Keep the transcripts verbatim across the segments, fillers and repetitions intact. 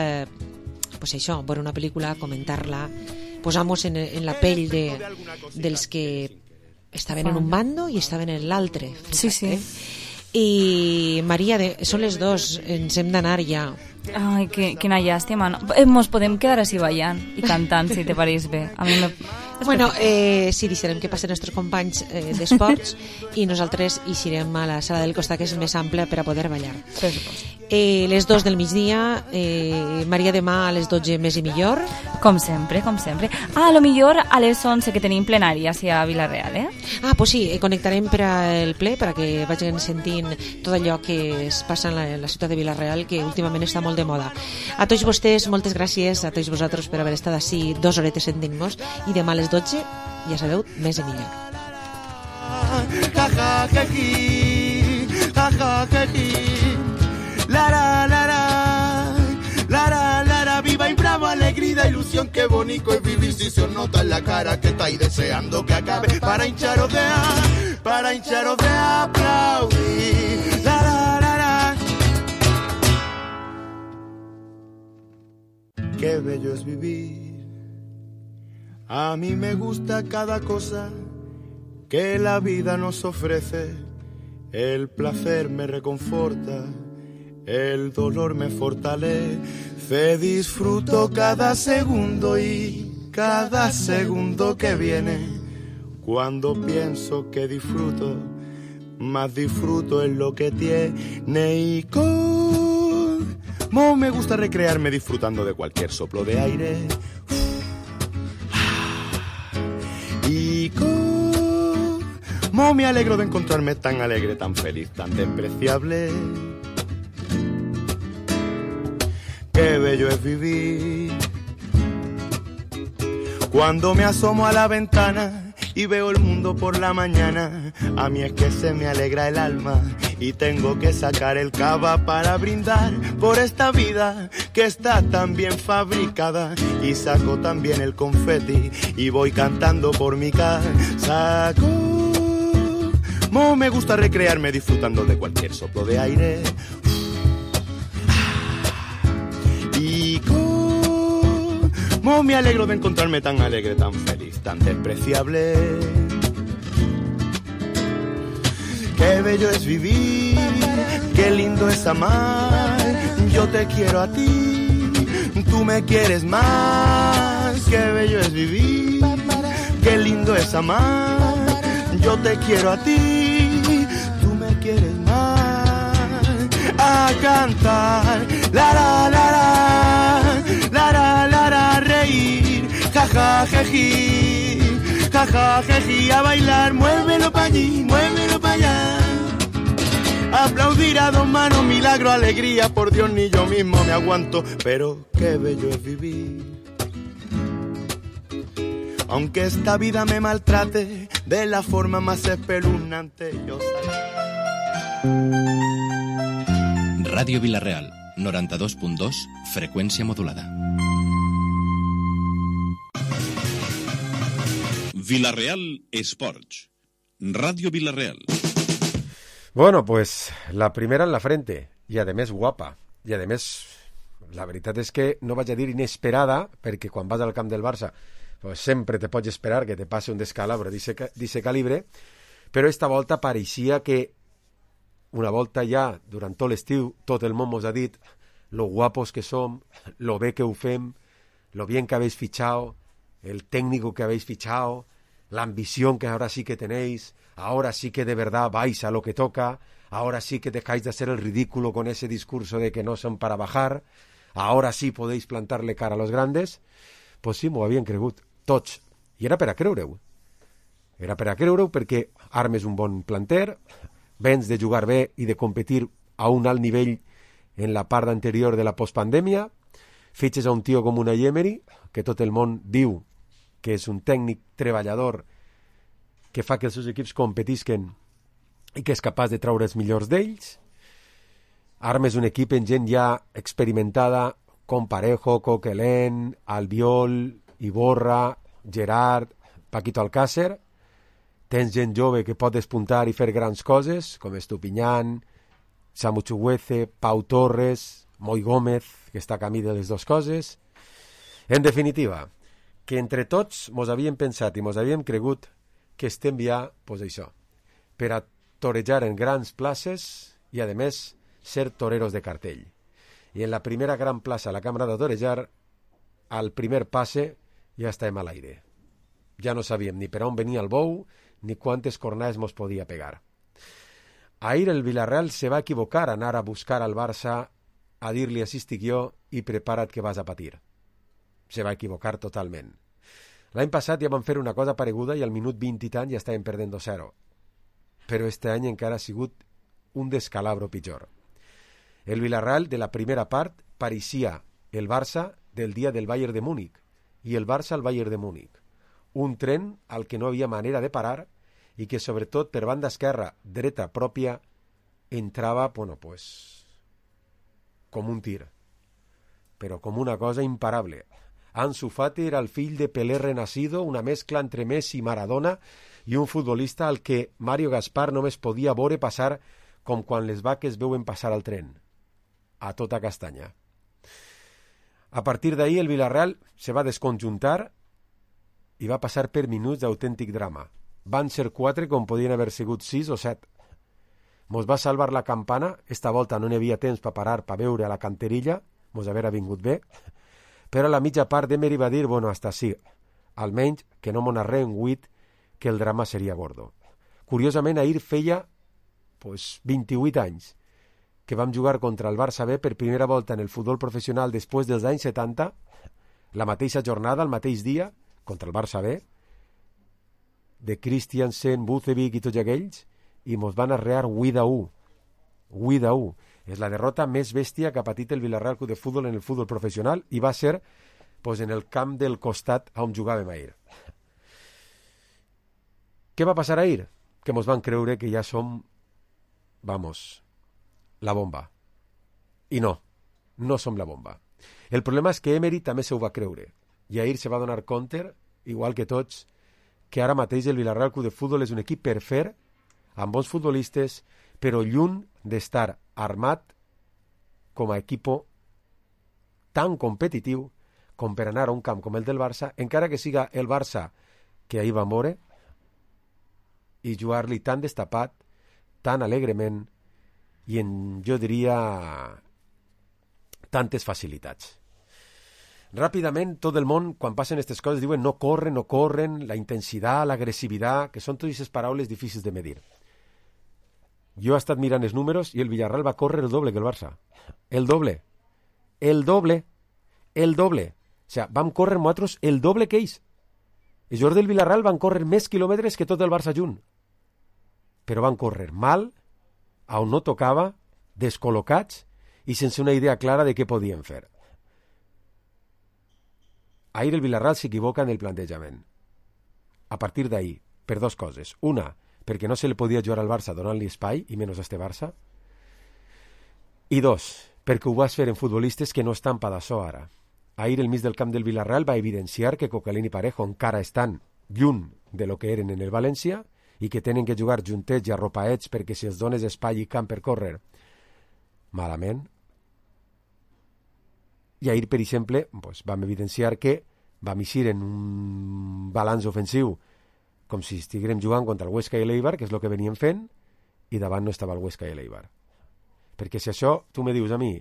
Eh, pues això, veure una pel·lícula, comentar-la, posar-nos en, en la pell de, dels que estaven en un bando i estaven en l'altre. Sí, sí. Eh? I Maria, de, són les dos, ens hem d'anar ja. Ai, que, quina llàstima. No? Eh, mos podem quedar així ballant i cantant, si te pareix bé. A mi me... Bueno, eh, sí, deixarem que passen els nostres companys eh, d'esports i nosaltres eixirem a la sala del costat, que és més àmplia, per a poder ballar. Eh, les dos del migdia, eh, Maria, demà a les dotze més i millor. Com sempre, com sempre. Ah, a lo millor a les onze que tenim plenària a Vila-real, eh? Ah, pues sí, eh, connectarem per al ple, perquè vagin sentint tot allò que es passa en la, en la ciutat de Vila-real, que últimament està molt de moda. A tots vostès, moltes gràcies, a tots vosaltres per haver estat així dues horetes sentint-nos, i demà a les dotze, ja sabeu, més i millor. Ja, ja, ja, ja, ja, ja, la, la, la, la, la, la, la, la, viva y bravo, alegría, ilusión, qué bonito es vivir si se os nota en la cara que estáis deseando que acabe para hincharos de, para hincharos de aplaudir. La, la, la, la. Qué bello es vivir. A mí me gusta cada cosa que la vida nos ofrece. El placer me reconforta, el dolor me fortalece. Disfruto cada segundo y cada segundo que viene. Cuando pienso que disfruto, más disfruto en lo que tiene. Y como me gusta recrearme disfrutando de cualquier soplo de aire. Y cómo me alegro de encontrarme tan alegre, tan feliz, tan despreciable. Qué bello es vivir. Cuando me asomo a la ventana y veo el mundo por la mañana, a mí es que se me alegra el alma y tengo que sacar el cava para brindar por esta vida que está tan bien fabricada. Y saco también el confeti y voy cantando por mi casa. Como me gusta recrearme disfrutando de cualquier soplo de aire. Y cómo me alegro de encontrarme tan alegre, tan feliz, tan despreciable. Qué bello es vivir, qué lindo es amar. Yo te quiero a ti, tú me quieres más. Qué bello es vivir, qué lindo es amar. Yo te quiero a ti, tú me quieres más. A cantar, la la la la, la la la la, reír, ja ja jeji, ja ja jeji, a bailar, muévelo pa' allí, muévelo pa' allá. Aplaudir a dos manos, milagro, alegría, por Dios ni yo mismo me aguanto, pero qué bello es vivir. Aunque esta vida me maltrate de la forma más espeluznante, yo sé. Ràdio Vila-real, noranta-dos punt dos, freqüència modulada. Vila-real Esports. Ràdio Vila-real. Bueno, pues la primera en la frente, i a més guapa, i a més la veritat és que no vaig a dir inesperada, perquè quan vas al camp del Barça pues sempre te pots esperar que te passe un descalabro d'aquest calibre, però esta volta pareixia que una volta ja, durant tot l'estiu, tot el món mos ha dit lo guapos que som, lo bé que ho fem, lo bien que habéis fichado, el técnico que habéis fichado, la ambición que ahora sí que tenéis, ahora sí que de verdad vais a lo que toca, ahora sí que dejáis de hacer el ridículo con ese discurso de que no son para bajar, ahora sí podéis plantarle cara a los grandes. Pues sí, m'ho havien cregut, tots. I era per a creure-ho. Era per a creure-ho perquè armes un bon planter, vens de jugar bé i de competir a un alt nivell en la part anterior de la postpandèmia, fitxes a un tio com una Emery, que tot el món diu que és un tècnic treballador que fa que els seus equips competisquen i que és capaç de treure els millors d'ells. Armes un equip en gent ja experimentada com Parejo, Coquelin, Albiol, Iborra, Gerard, Paquito Alcácer. Tens gent jove que pot despuntar i fer grans coses, com Estupiñán, Samu Chuguece, Pau Torres, Moi Gómez, que està a camí de les dues coses. En definitiva, que entre tots mos havíem pensat i mos havíem cregut que estem ja, pues això, per a torejar en grans places i, a més, ser toreros de cartell. I en la primera gran plaça, la cambra de torejar, al primer passe ja estàvem a l'aire. Ja no sabíem ni per on venia el bou ni quantes cornades mos podia pegar. Ahir el Villarreal se va equivocar a anar a buscar al Barça a dir-li així estic jo i prepara't que vas a patir. Se va equivocar totalment. L'any passat ja van fer una cosa pareguda i al minut vint i tant ja estàvem perdent dos zero. Però este any encara ha sigut un descalabro pitjor. El Villarreal de la primera part pareixia el Barça del dia del Bayern de Múnich i el Barça al Bayern de Múnich. Un tren al que no havia manera de parar i que sobretot per banda esquerra, dreta pròpia, entrava, bueno, pues, com un tir. Però com una cosa imparable. Ansu Fati era el fill de Pelé renacido, una mescla entre Messi i Maradona i un futbolista al que Mario Gaspar només podia veure passar com quan les vaques veuen passar al tren, a tota castanya. A partir d'ahir el Villarreal se va desconjuntar i va passar per minuts d'autèntic drama. Van ser quatre com podien haver sigut sis o set. Mos va salvar la campana, esta volta no n'hi havia temps per parar per veure a la canterilla, mos haver vingut bé, però a la mitja part Emery va dir, bueno, hasta sí, almenys que no m'ho narré en huit que el drama seria gordo. Curiosament, ahir feia pues, vint-i-vuit anys que vam jugar contra el Barça B per primera volta en el futbol professional després dels anys setanta, la mateixa jornada, el mateix dia, contra el Barça B, de Christiansen, Bucevic i tots aquells, i mos van arrear huit a u. huit a u. És la derrota més bèstia que ha patit el Villarreal Club de Futbol en el futbol professional i va ser pues, en el camp del costat on jugàvem ahir. Què va passar ahir? Que mos van creure que ja som, vamos, la bomba. I no, no som la bomba. El problema és que Emery també se ho va creure. I ahir se va donar compte, igual que tots, que ara mateix el Villarreal Club de Futbol és un equip per fer, amb bons futbolistes, però lluny d'estar armat com a equipo tan competitiu com per anar a un camp com el del Barça, encara que siga el Barça que ahir va moure, i jugar-li tan destapat, tan alegrement, i en, jo diria, tantes facilitats. Ràpidament, tot el món, quan passen aquestes coses, diuen no corren, no corren, la intensitat, l'agressivitat, que són totes aquestes paraules difícils de medir. Jo he estat mirant els números i el Villarreal va córrer el doble que el Barça. El doble. El doble. El doble. O sigui, vam córrer nosaltres el doble que ells. Els jugadors del Villarreal van córrer més quilòmetres que tot el Barça junt. Però van córrer mal, a on no tocava, descol·locats i sense una idea clara de què podien fer. Ahir el Villarreal s'equivoca en el plantejament. A partir d'ahir, per dues coses. Una, perquè no se li podia jugar al Barça donant-li espai, i menys a este Barça. I dos, perquè ho vas fer en futbolistes que no estan per d'això ara. Ahir el mig del camp del Villarreal va evidenciar que Coquelin i Parejo encara estan lluny de lo que eren en el València i que tenen que jugar juntets i arropaets perquè si els dones espai i camp per córrer, malament. I ahir, per exemple, pues, vam evidenciar que vam eixir en un balanç ofensiu com si estiguérem jugant contra el Huesca i l'Eibar, que és el que veníem fent, i davant no estava el Huesca i l'Eibar. Perquè si això tu me dius a mi,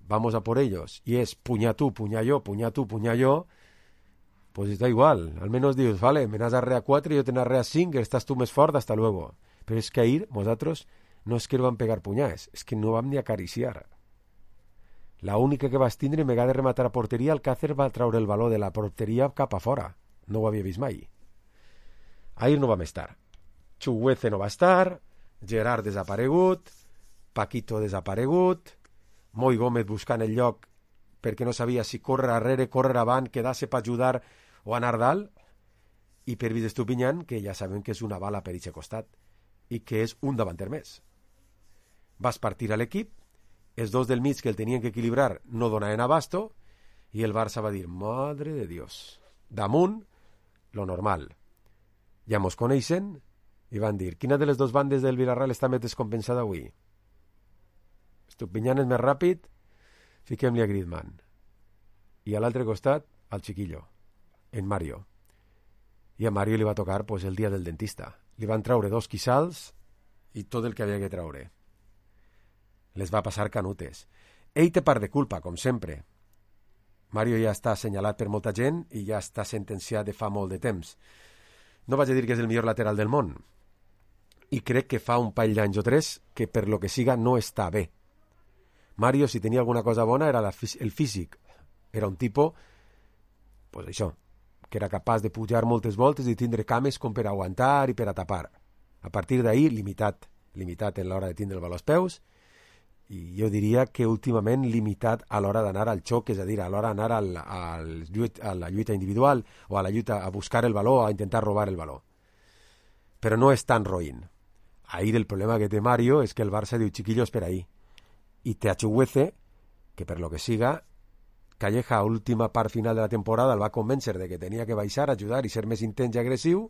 vamos a por ellos, i és puñar tu, puñar yo, puñar tu, puñar yo, pues da igual. Al menos dius, vale, me n'has arrear quatre, jo te n'arrear cinc, estàs tu més fort, hasta luego. Però és que ahir, nosaltres, no és que no vam pegar punyades, és que no vam ni acariciar. La única que vas tindre, en vegada de rematar a porteria, el Càcer va traure el baló de la porteria cap a fora. No ho havia vist mai. Ahir no vam estar. Chuguece no va estar, Gerard desaparegut, Paquito desaparegut, Moi Gómez buscant el lloc perquè no sabia si córrer arrere, córrer avant, quedar-se per ajudar o anar dalt, i per Vides Estupinyán, que ja sabem que és una bala per aquest costat i que és un davanter més. Vas partir a l'equip, els dos del mig que el tenien que equilibrar no donaven abasto, i el Barça va dir, madre de Dios, damunt, lo normal. Ja mos coneixen i van dir, quina de les dues bandes del Villarreal està més descompensada avui? Estupinyán és més ràpid fiquem-li a Griezmann. I a l'altre costat, al Chiquillo, en Mario. I a Mario li va tocar pues, el dia del dentista. Li van traure dos quissals i tot el que havia que traure. Les va passar canutes. Ell té part de culpa, com sempre. Mario ja està assenyalat per molta gent i ja està sentenciat de fa molt de temps. No vaig a dir que és el millor lateral del món. I crec que fa un parell d'anys o tres que per lo que siga no està bé. Mario, si tenia alguna cosa bona, era la, el físic. Era un tipus, pues això, que era capaç de pujar moltes voltes i tindre cames com per aguantar i per a tapar. A partir d'ahir, limitat, limitat en l'hora de tindre el valor als peus, i jo diria que últimament limitat a l'hora d'anar al xoc, és a dir, a l'hora d'anar al, al lluit, a la lluita individual o a la lluita a buscar el valor, a intentar robar el valor. Però no és tan roïn. Ahir el problema que té Mario és que el Barça diu, chiquillos, per ahí. I té a Chuguece, que per lo que siga, Calleja a última part final de la temporada el va convèncer de que tenia que baixar, ajudar i ser més intens i agressiu,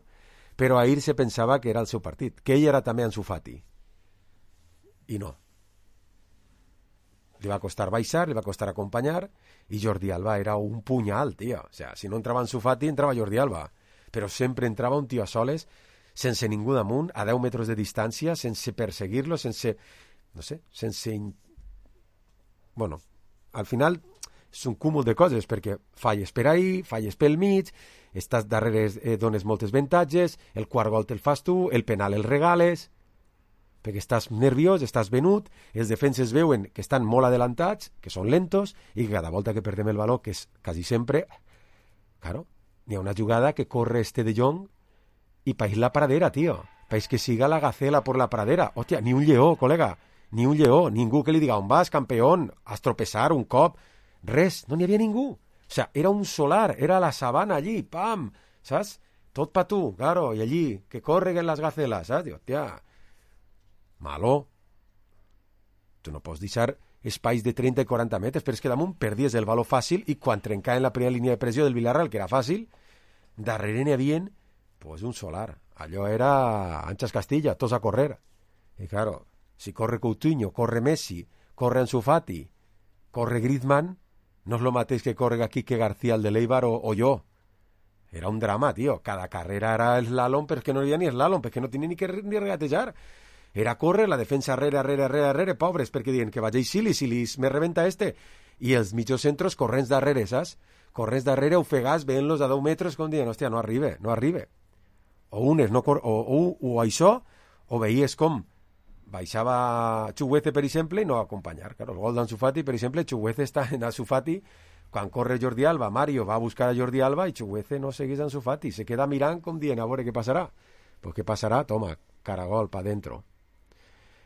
però ahir se pensava que era el seu partit, que ell era també Ansu Fati. I no. Li va costar baixar, li va costar acompanyar, i Jordi Alba era un punyal, tio. O sea, si no entrava Ansu Fati, entrava Jordi Alba. Però sempre entrava un tio a soles, sense ningú damunt, a deu metres de distància, sense perseguir-lo, sense... no sé, sense... Bueno, al final és un cúmul de coses, perquè falles per ahí, falles pel mig, estàs darrere, eh, dones moltes avantatges, el quart gol te'l fas tu, el penal el regales, perquè estàs nerviós, estàs venut, els defenses veuen que estan molt adelantats, que són lentos, i que cada volta que perdem el valor, que és quasi sempre, claro, n'hi ha una jugada que corre este de Jong i país la pradera, tio. País que siga la gacela por la pradera. Hòstia, ni un lleó, col·lega, ni un lleó, ningú que li diga on vas, campeón, has tropezar un cop, res, no n'hi havia ningú. O sea, era un solar, era la sabana allí, pam, saps? Tot pa tu, claro, i allí, que correguen les gaceles, saps? Diu, hòstia, malo. Tu no pots deixar espais de trenta i quaranta metres, però és que damunt perdies el valor fàcil i quan trencaven la primera línia de pressió del Villarreal, que era fàcil, darrere n'hi havia pues, un solar. Allò era Anxas Castilla, tots a correr. I claro, si corre Coutinho, corre Messi, corre Ansu Fati, corre Griezmann, no és el mateix que corre Quique García, el de l'Eibar, o, o jo. Era un drama, tio. Cada carrera era slalom, però és que no hi havia ni slalom, perquè no tenia ni que ni regatejar. Era córrer, la defensa arrere, arrere, arrere, arrere, pobres, perquè diuen que vaig a Sili, si li me rebenta este. I els mitjos centros corrents darrere, saps? Corrents darrere, ofegats, veient-los a deu metres, com diuen, hòstia, no arriba, no arriba. O unes, no cor o, o, o això, o veies com baixava Chuguece, per exemple, i no acompanyar. Claro, el gol d'Ansu Fati, per exemple, Chuguece està en Ansu Fati, quan corre Jordi Alba, Mario va a buscar a Jordi Alba i Chuguece no segueix Ansu Fati, se queda mirant com dient, a veure què passarà. Pues què passarà? Toma, caragol, pa dentro.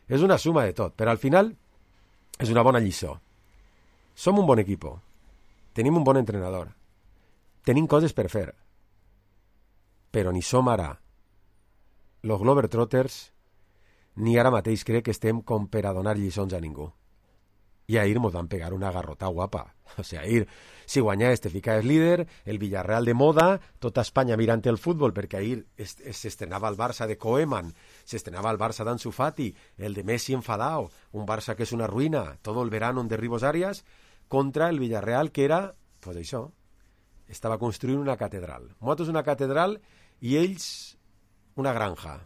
És una suma de tot, però al final és una bona lliçó. Som un bon equip, tenim un bon entrenador, tenim coses per fer, però ni som ara los Globetrotters ni ara mateix crec que estem com per a donar lliçons a ningú. I ahir mos van pegar una garrota guapa. O sigui, ahir, si guanyaves te ficaves líder, el Villarreal de moda, tota Espanya mirant el futbol, perquè ahir s'estrenava el Barça de Koeman, s'estrenava el Barça d'Ansu Fati, el de Messi enfadao, un Barça que és una ruïna, todo el verano en Derribos Arias, contra el Villarreal que era, pues això, estava construint una catedral. Nosaltres una catedral i ells una granja.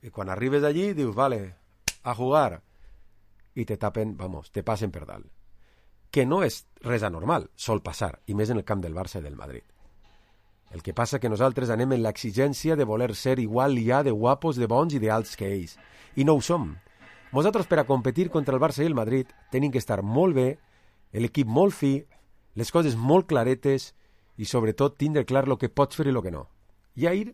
I quan arribes allí dius, vale, a jugar, i te tapen, vamos, te passen per dalt. Que no és res anormal, sol passar, i més en el camp del Barça i del Madrid. El que passa que nosaltres anem en l'exigència de voler ser igual ja de guapos, de bons i d'alts que ells. I no ho som. Nosaltres, per a competir contra el Barça i el Madrid, tenim que estar molt bé, l'equip molt fi, les coses molt claretes i, sobretot, tindre clar el que pots fer i el que no. I ahir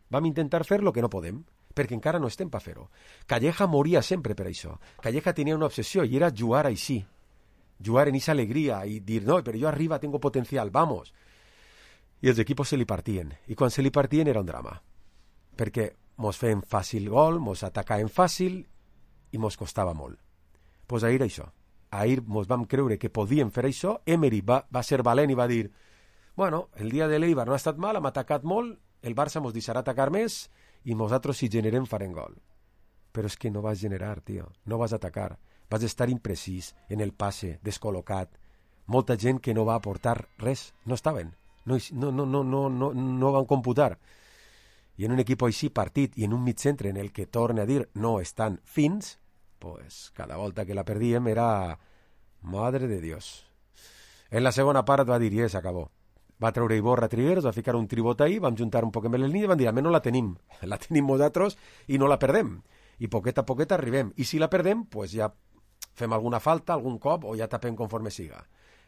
vam intentar fer el que no podem, perquè encara no estem per fer-ho. Calleja moria sempre per això. Calleja tenia una obsessió i era jugar així. Jugar en esa alegria i dir, no, però jo arriba, tengo potencial, vamos. I els equipos se li partien. I quan se li partien era un drama. Perquè mos feien fàcil gol, mos atacaven fàcil i mos costava molt. Doncs pues ahir això. Ahir mos vam creure que podíem fer això. Emery va, va ser valent i va dir, bueno, el dia de l'Eibar no ha estat mal, hem atacat molt, el Barça mos deixarà atacar més i nosaltres si generem farem gol. Però és que no vas generar, tio, no vas atacar. vas estar imprecís en el passe, descol·locat. Molta gent que no va aportar res, no estaven, no, no, no, no, no, no, no van computar. I en un equip així partit i en un mitcentre en el que, torne a dir, no estan fins, pues cada volta que la perdíem era... Madre de Dios. En la segona part va dir, i s'acabó. Va treure Iborra Trigueros, va ficar un tribot ahí, vam juntar un poc amb el línia i van dir, almenys no la tenim, la tenim nosaltres i no la perdem. I poquet a poquet arribem. I si la perdem, pues ja fem alguna falta, algun cop, o ja tapem conforme siga.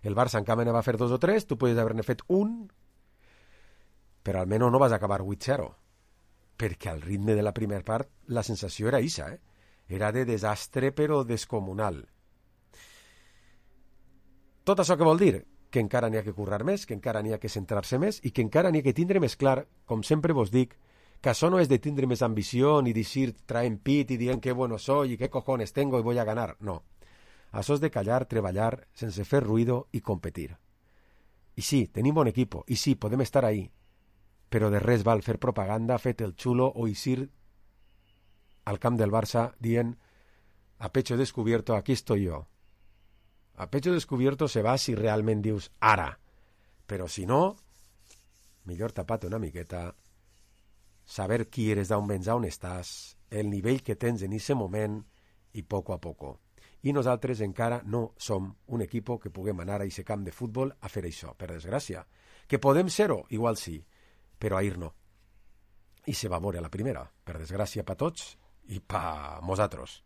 El Barça en canvi va fer dos o tres, tu podies haver-ne fet un, però almenys no vas acabar vuit zero. Perquè al ritme de la primera part la sensació era isa, eh? Era de desastre però descomunal. Tot això què vol dir? Que encara n'hi ha que currar més, que encara n'hi ha que centrar-se més i que encara n'hi ha que tindre més clar, com sempre vos dic, que això no és de tindre més ambició ni dir traen pit i dient que bueno soy i que cojones tengo i voy a ganar, no. Això és de callar, treballar, sense fer ruido i competir. I sí, tenim bon equip, i sí, podem estar ahí, però de res val fer propaganda, fet el xulo o eixir al camp del Barça dient a pecho descubierto, aquí estoy yo. A pecho descubierto se va si realment dius ara, però si no, millor tapate una miqueta, saber qui eres, d'on vens, on estàs, el nivell que tens en aquest moment i poco a poco. I nosaltres encara no som un equip que puguem anar a aquest camp de futbol a fer això, per desgràcia. Que podem ser-ho, igual sí, però ahir no. I se va moure a la primera, per desgràcia per tots i per nosaltres.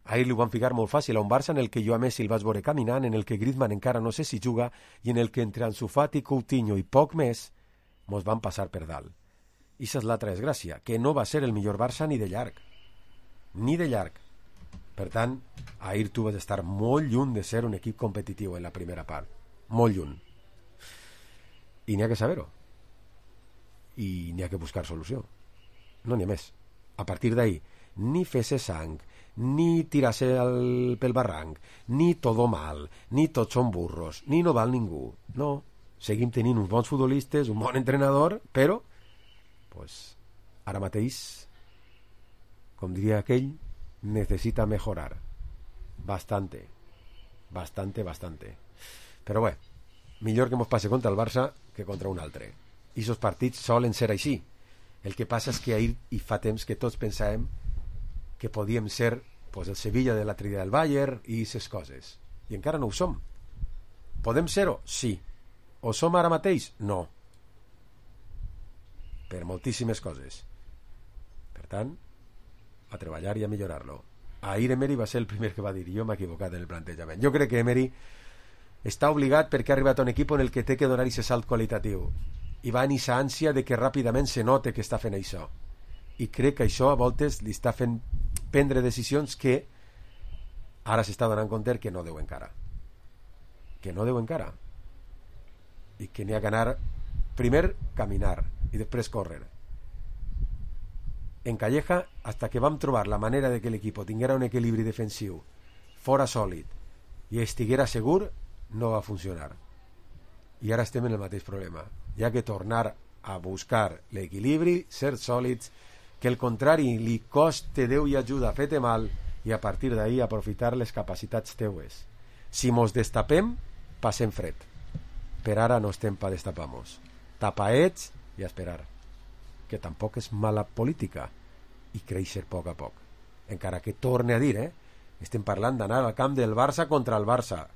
Ahir li ho van ficar molt fàcil a un Barça en el que jo a Messi el vaig veure caminant, en el que Griezmann encara no sé si juga i en el que entre Ansu Fati, Coutinho i poc més mos van passar per dalt. I això és l'altra desgràcia, que no va ser el millor Barça ni de llarg. Ni de llarg. Per tant, ahir tu vas estar molt lluny de ser un equip competitiu en la primera part. Molt lluny. I n'hi ha que saber-ho. I n'hi ha que buscar solució. No n'hi ha més. A partir d'ahir, ni fer-se sang, ni tirar-se pel barranc, ni todo mal, ni tots són burros, ni no val ningú. No, seguim tenint uns bons futbolistes, un bon entrenador, però pues, ara mateix, com diria aquell, necessita mejorar. Bastante. Bastante, bastante. Però bé, millor que mos passe contra el Barça que contra un altre. I aquests partits solen ser així. El que passa és que ahir i fa temps que tots pensàvem que podíem ser pues, el Sevilla de l'altre dia del Bayern i aquestes coses. I encara no ho som. Podem ser-ho? Sí. O som ara mateix? No. Per moltíssimes coses. Per tant, a treballar i a millorar-lo. Ahir Emery va ser el primer que va dir jo m'he equivocat en el plantejament. Jo crec que Emery està obligat perquè ha arribat a un equip en el que té que donar aquest salt qualitatiu i va en aquesta ànsia de que ràpidament se note que està fent això. I crec que això a voltes li està fent prendre decisions que ara s'està donant compte que no deu encara. Que no deu encara. I que n'hi ha que anar primer caminar i després córrer. En Calleja, hasta que vam trobar la manera de que l'equip tinguera un equilibri defensiu fora sòlid i estiguera segur, no va funcionar. I ara estem en el mateix problema. Hi ha que tornar a buscar l'equilibri, ser sòlids, que el contrari li coste Déu i ajuda, fete mal, i a partir d'ahí aprofitar les capacitats teues. Si mos destapem, passem fred. Per ara no estem pa destapar-nos. Tapaets i a esperar. Que tampoc és mala política i créixer a poc a poc. Encara que torne a dir, eh? Estem parlant d'anar al camp del Barça contra el Barça.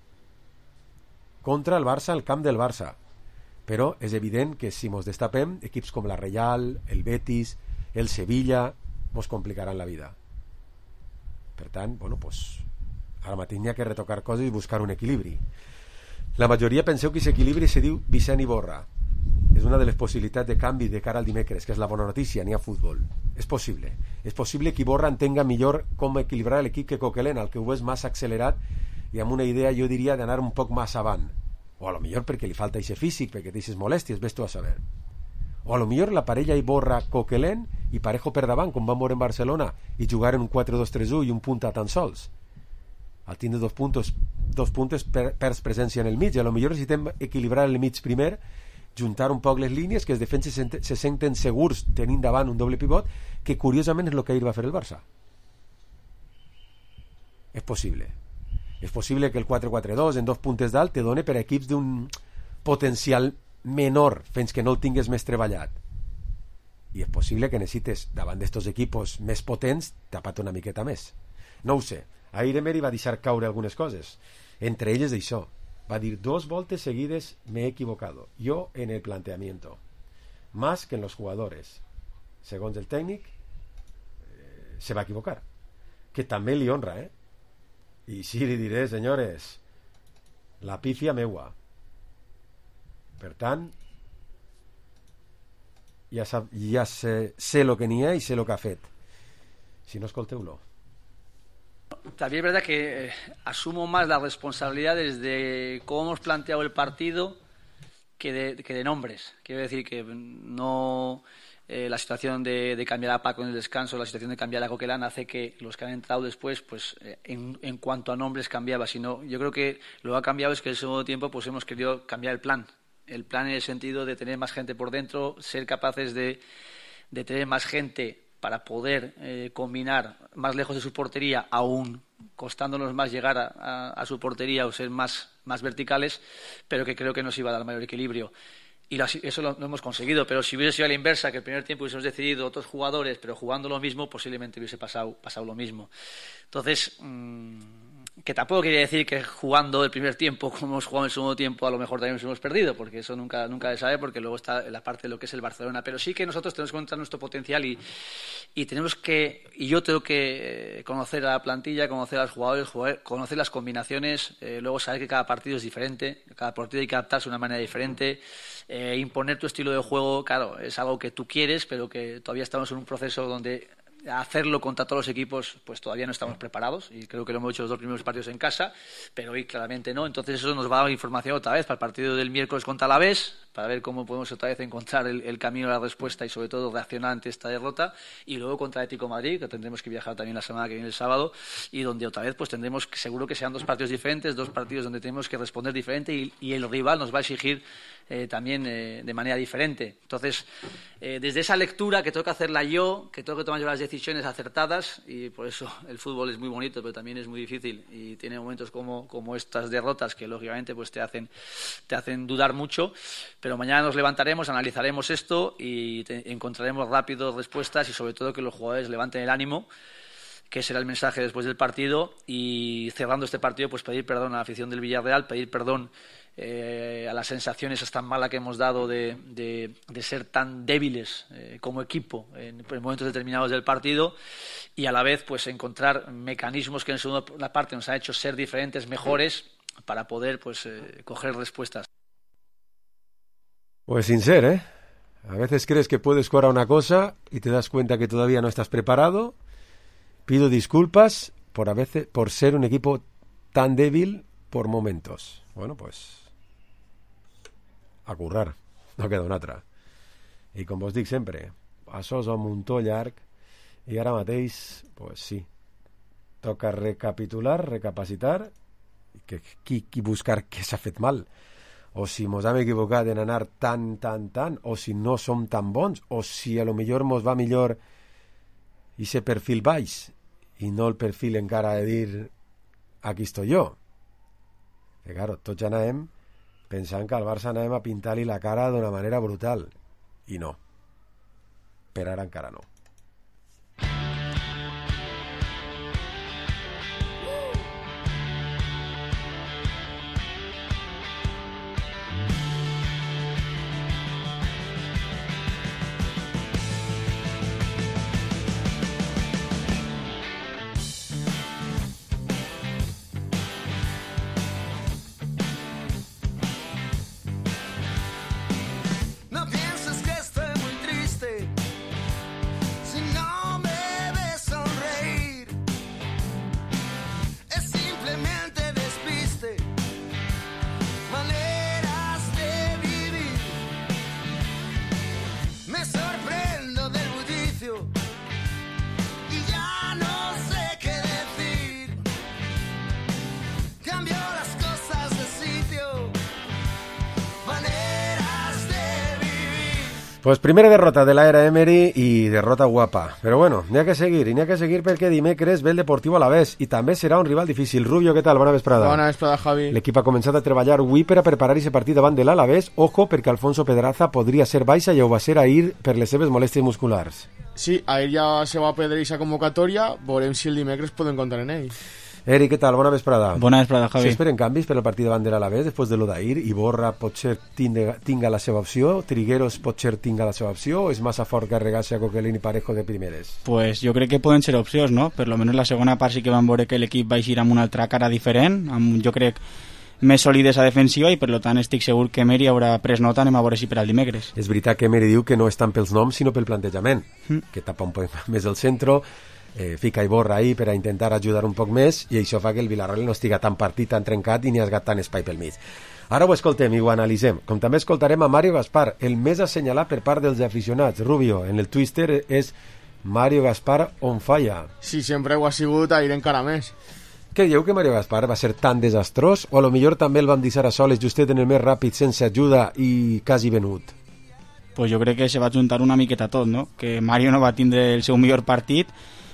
Contra el Barça al camp del Barça. Però és evident que si mos destapem, equips com la Real, el Betis, el Sevilla, mos complicaran la vida. Per tant, bueno, pues, ara mateix n'hi ha que retocar coses i buscar un equilibri. La majoria penseu que aquest equilibri se diu Vicent Iborra. És una de les possibilitats de canvi de cara al dimecres, que és la bona notícia, n'hi ha futbol. És possible. És possible que Iborra entenga millor com equilibrar l'equip que Coquelin, el que ho és massa accelerat i amb una idea, jo diria, d'anar un poc més avant. O a lo millor perquè li falta aquest físic, perquè té aquestes molèsties, ves tu a saber. O a lo millor la parella Iborra-Coquelin i Parejo per davant, com van veure en Barcelona, i jugar en un quatre dos tres u i un punta tan sols. Al tindre dos puntos, dos puntes per, perds presència en el mig, i a lo millor necessitem equilibrar el mig primer, juntar un poc les línies, que els defenses se, se senten segurs tenint davant un doble pivot, que curiosament és el que ahir va fer el Barça. és possible. És possible que el quatre quatre dos en dos puntes dalt te doni per equips d'un potencial menor fins que no el tingues més treballat. I és possible que necessites, davant d'estos equipos més potents, tapat una miqueta més. No ho sé. Ahir Emery va deixar caure algunes coses. Entre elles això. Va dir, dos voltes seguides me he equivocado. Yo en el planteamiento. Más que en los jugadores. Segons el tècnic, eh, se va equivocar. Que també li honra, eh? I sí, li diré, senyores, la pífia meua. Per tant, ja, sap, ja sé, sé lo que n'hi ha i sé lo que ha fet. Si no, escolteu-lo. También es verdad que eh, asumo más las responsabilidades de cómo hemos planteado el partido que de, que de nombres. Quiero decir que no... Eh, la situación de, de cambiar a Paco en el descanso, la situación de cambiar a Coquelin hace que los que han entrado después, pues eh, en, en cuanto a nombres cambiaba, sino yo creo que lo que ha cambiado es que en el segundo tiempo pues hemos querido cambiar el plan, el plan en el sentido de tener más gente por dentro, ser capaces de, de tener más gente para poder eh, combinar más lejos de su portería, aún costándonos más llegar a, a, a su portería o ser más, más verticales, pero que creo que nos iba a dar mayor equilibrio. Y eso lo, lo hemos conseguido, pero si hubiese sido a la inversa, que el primer tiempo hubiésemos decidido otros jugadores, pero jugando lo mismo, posiblemente hubiese pasado, pasado lo mismo. Entonces, mmm, que tampoco quería decir que jugando el primer tiempo, como hemos jugado el segundo tiempo, a lo mejor también nos hemos perdido, porque eso nunca, nunca se sabe, porque luego está la parte de lo que es el Barcelona. Pero sí que nosotros tenemos que encontrar nuestro potencial y, y tenemos que, y yo tengo que conocer a la plantilla, conocer a los jugadores, jugar, conocer las combinaciones, eh, luego saber que cada partido es diferente, cada partido hay que adaptarse de una manera diferente. Eh, imponer tu estilo de juego, claro, es algo que tú quieres, pero que todavía estamos en un proceso donde hacerlo contra todos los equipos, pues todavía no estamos preparados, y creo que lo hemos hecho los dos primeros partidos en casa, pero hoy claramente no. Entonces eso nos va a dar información otra vez para el partido del miércoles contra Alavés, para ver cómo podemos otra vez encontrar el, el camino a la respuesta y sobre todo reaccionar ante esta derrota, y luego contra Atlético de Madrid, que tendremos que viajar también la semana que viene el sábado, y donde otra vez pues tendremos que, seguro que sean dos partidos diferentes, dos partidos donde tenemos que responder diferente, y, y el rival nos va a exigir eh, también eh, de manera diferente. Entonces, eh, desde esa lectura que tengo que hacerla yo, que tengo que tomar yo las decisiones acertadas, y por eso el fútbol es muy bonito, pero también es muy difícil, y tiene momentos como, como estas derrotas que lógicamente pues te hacen, te hacen dudar mucho. Pero mañana nos levantaremos, analizaremos esto y te, encontraremos rápido respuestas, y sobre todo que los jugadores levanten el ánimo, que será el mensaje después del partido. Y cerrando este partido, pues pedir perdón a la afición del Villarreal, pedir perdón eh, a las sensaciones tan malas que hemos dado de, de, de ser tan débiles eh, como equipo en, en momentos determinados del partido, y a la vez pues encontrar mecanismos que en segunda parte nos han hecho ser diferentes, mejores, para poder pues eh, coger respuestas. Pues sincero, ¿eh? A veces crees que puedes jugar a una cosa y te das cuenta que todavía no estás preparado. Pido disculpas por a veces por ser un equipo tan débil por momentos. Bueno, pues a currar, no queda una altra. I com vos dic sempre, això és un muntó llarg, i ara mateix, pues sí, toca recapitular, recapacitar, que, que, que buscar què s'ha fet mal, o si mos hem equivocat en anar tan, tan, tan, o si no som tan bons, o si a lo millor mos va millor ese perfil baix i no el perfil encara de dir aquí estoy jo. Que claro, tots ja anàvem pensant que al Barça anàvem a pintar-li la cara d'una manera brutal, i no, per ara encara no. Pues primera derrota de la era Emery i derrota guapa. Però bueno, n'hi ha que seguir, i n'hi ha que seguir perquè dimecres ve el Deportivo Alavés i també serà un rival difícil. Rubio, què tal? Bona vesprada. Bona vesprada, Javi. L'equip ha començat a treballar avui per a preparar aquest partit davant de l'Alavés. Ojo, perquè Alfonso Pedraza podria ser baixa i ho va ser ahir per les seves molèsties musculars. Sí, ahir ja se va perdre aquesta convocatòria, veurem si el dimecres poden comptar en ell. Eric, què tal? Bona vesprada. Bona vesprada, Javi. S'esperen canvis per al partit davant de l'Alavés després de lo d'ahir? Iborra potser tinga, tinga la seva opció? Trigueros potser tinga la seva opció? O és massa fort carregar-se a Coquelin i Parejo de primeres? Pues jo crec que poden ser opcions, no? Per lo menos la segona part sí que vam veure que l'equip va eixir amb una altra cara diferent, amb, jo crec, més solidesa defensiva i per lo tant estic segur que Emery haurà pres nota, anem a veure si per al dimecres. És veritat que Emery diu que no és tant pels noms sinó pel plantejament, mm. que tapa un poc més el centre, eh, fica Iborra ahí per a intentar ajudar un poc més i això fa que el Villarreal no estiga tan partit, tan trencat i ni ha esgat tant espai pel mig. Ara ho escoltem i ho analitzem, com també escoltarem a Mario Gaspar, el més assenyalat per part dels aficionats. Rubio, en el Twitter és Mario Gaspar on falla. Sí, sempre ho ha sigut, ahir encara més. Què dieu que Mario Gaspar va ser tan desastrós o a lo millor també el van deixar a soles justet en el més ràpid sense ajuda i quasi venut? Pues jo crec que se va juntar una miqueta tot, no? Que Mario no va tindre el seu millor partit,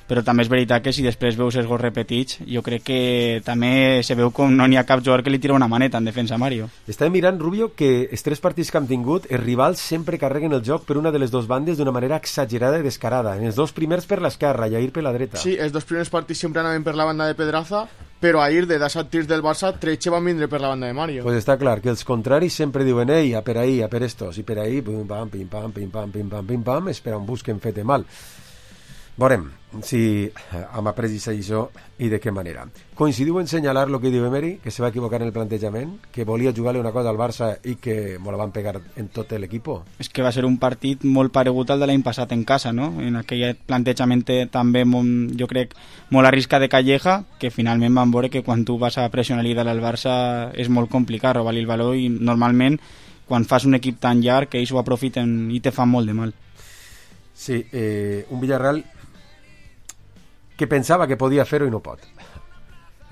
però també és veritat que si després veus els gols repetits, jo crec que també se veu com no n'hi ha cap jugador que li tira una maneta en defensa a Mario. Estàvem mirant, Rubio, que els tres partits que han tingut, els rivals sempre carreguen el joc per una de les dues bandes d'una manera exagerada i descarada. En els dos primers per l'esquerra i ahir per la dreta. Sí, els dos primers partits sempre anaven per la banda de Pedraza, però ahir de disset tirs del Barça, tretze van vindre per la banda de Mario. Pues està clar que els contraris sempre diuen ei, a per ahí, a per estos, i per ahí, pim pam, pim pam, pim pam, pim pam, pim pam, espera un busquen fete mal. Veurem si hem après això i de què manera. Coincidiu en senyalar el que diu Emery, que se va equivocar en el plantejament, que volia jugar-li una cosa al Barça i que me la van pegar en tot l'equip? És que va ser un partit molt paregut al de l'any passat en casa, no? En aquell plantejament també, molt, jo crec, molt arriscat de Calleja, que finalment van veure que quan tu vas a pressionar i dalt al Barça és molt complicat robar-li el valor i normalment quan fas un equip tan llarg que ells ho aprofiten i te fan molt de mal. Sí, eh, un Villarreal que pensava que podia fer-ho i no pot.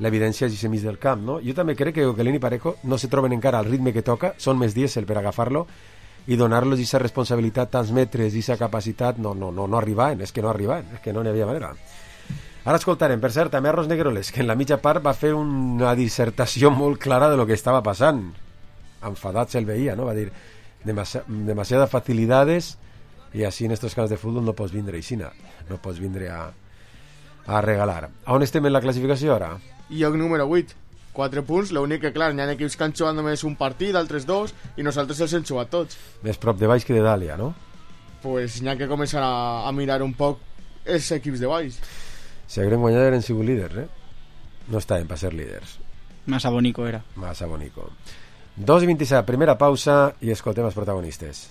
L'evidència és mig del camp, no? Jo també crec que Coquelin i Parejo no se troben encara al ritme que toca, són més dièsel per agafar-lo i donar-los aquesta responsabilitat, tants metres i aquesta capacitat, no, no, no, no arribaven, és que no arribaven, és que no n'hi havia manera. Ara escoltarem, per cert, també a Ros Negroles, que en la mitja part va fer una dissertació molt clara de lo que estava passant. Enfadat se'l veia, no? Va dir, demasi demasiadas facilidades i així en estos camps de futbol no pots vindre aixina, no pots vindre a a regalar. A on estem en la classificació ara? Lloc número vuit, quatre punts, l'únic que clar, hi ha equips que han jugat només un partit, altres dos, i nosaltres els hem jugat tots. Més prop de baix que de Dàlia, no? Pues hi ha que començar a, a mirar un poc els equips de baix. Si hagueren guanyat eren sigut líders, eh? No estaven per ser líders. Massa bonico era. Massa bonico. dos i vint-i-set, primera pausa i escoltem els protagonistes.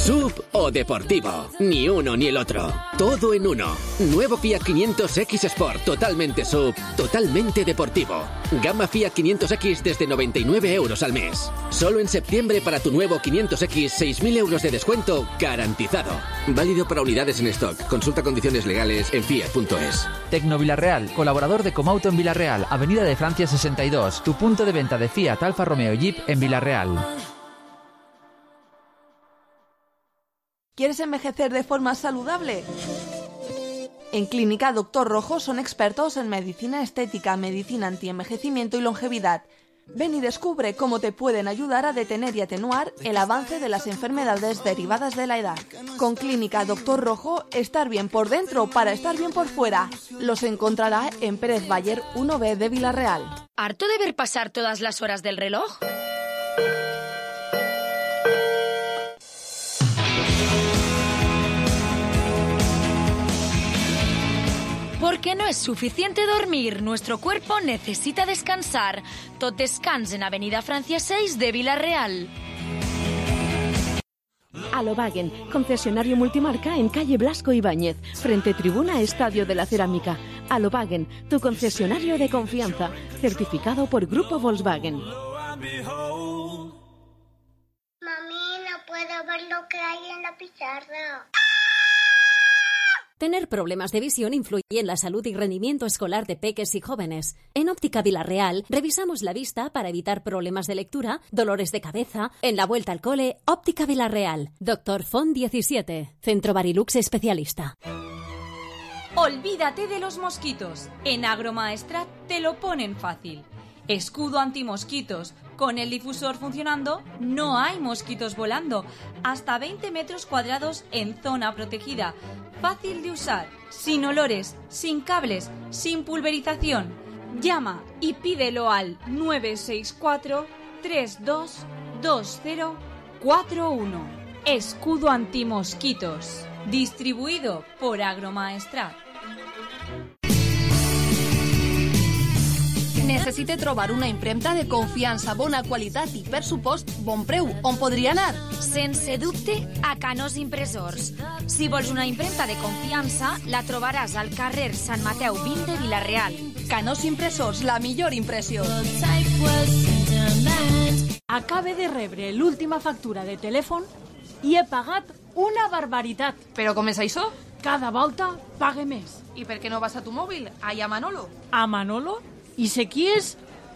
Sub o deportivo, ni uno ni el otro, todo en uno. Nuevo Fiat quinientos X Sport, totalmente sub, totalmente deportivo. Gama Fiat quinientos X desde noventa y nueve euros al mes. Solo en septiembre para tu nuevo quinientos X, seis mil euros de descuento garantizado. Válido para unidades en stock. Consulta condiciones legales en fiat punto es. Tecno Villarreal, colaborador de Comauto en Villarreal, Avenida de Francia sesenta y dos, tu punto de venta de Fiat, Alfa Romeo y Jeep en Villarreal. ¿Quieres envejecer de forma saludable? En Clínica Doctor Rojo son expertos en medicina estética, medicina antienvejecimiento y longevidad. Ven y descubre cómo te pueden ayudar a detener y atenuar el avance de las enfermedades derivadas de la edad. Con Clínica Doctor Rojo, estar bien por dentro para estar bien por fuera. Los encontrará en Pérez Bayer uno B de Villarreal. ¿Harto de ver pasar todas las horas del reloj? Porque no es suficiente dormir, nuestro cuerpo necesita descansar. Tot Descans en Avenida Francia seis de Villarreal. Alobagen, concesionario multimarca en calle Blasco Ibáñez, frente tribuna Estadio de la Cerámica. Alobagen, tu concesionario de confianza, certificado por Grupo Volkswagen. Mami, no puedo ver lo que hay en la pizarra. Tener problemas de visión influye en la salud y rendimiento escolar de peques y jóvenes. En Óptica Vilarreal revisamos la vista para evitar problemas de lectura, dolores de cabeza. En la vuelta al cole, Óptica Vilarreal. Doctor Font diecisiete, Centro Barilux especialista. Olvídate de los mosquitos. En Agromaestrat te lo ponen fácil. Escudo antimosquitos. Con el difusor funcionando, no hay mosquitos volando. Hasta veinte metros cuadrados en zona protegida. Fácil de usar, sin olores, sin cables, sin pulverización. Llama y pídelo al nueve seis cuatro, tres dos dos cero cuatro uno. Escudo antimosquitos. Distribuido por Agromaestrat. Necessite trobar una impremta de confiança, bona qualitat i, per supost, bon preu. On podria anar? Sense dubte, a Canós Impressors. Si vols una impremta de confiança, la trobaràs al carrer Sant Mateu vint de Vilareal. Canós Impressors, la millor impressió. Acabe de rebre l'última factura de telèfon i he pagat una barbaritat. Però com és això? Cada volta pague més. I per què no vas a tu mòbil? Allà a Manolo. A Manolo? I sé qui és?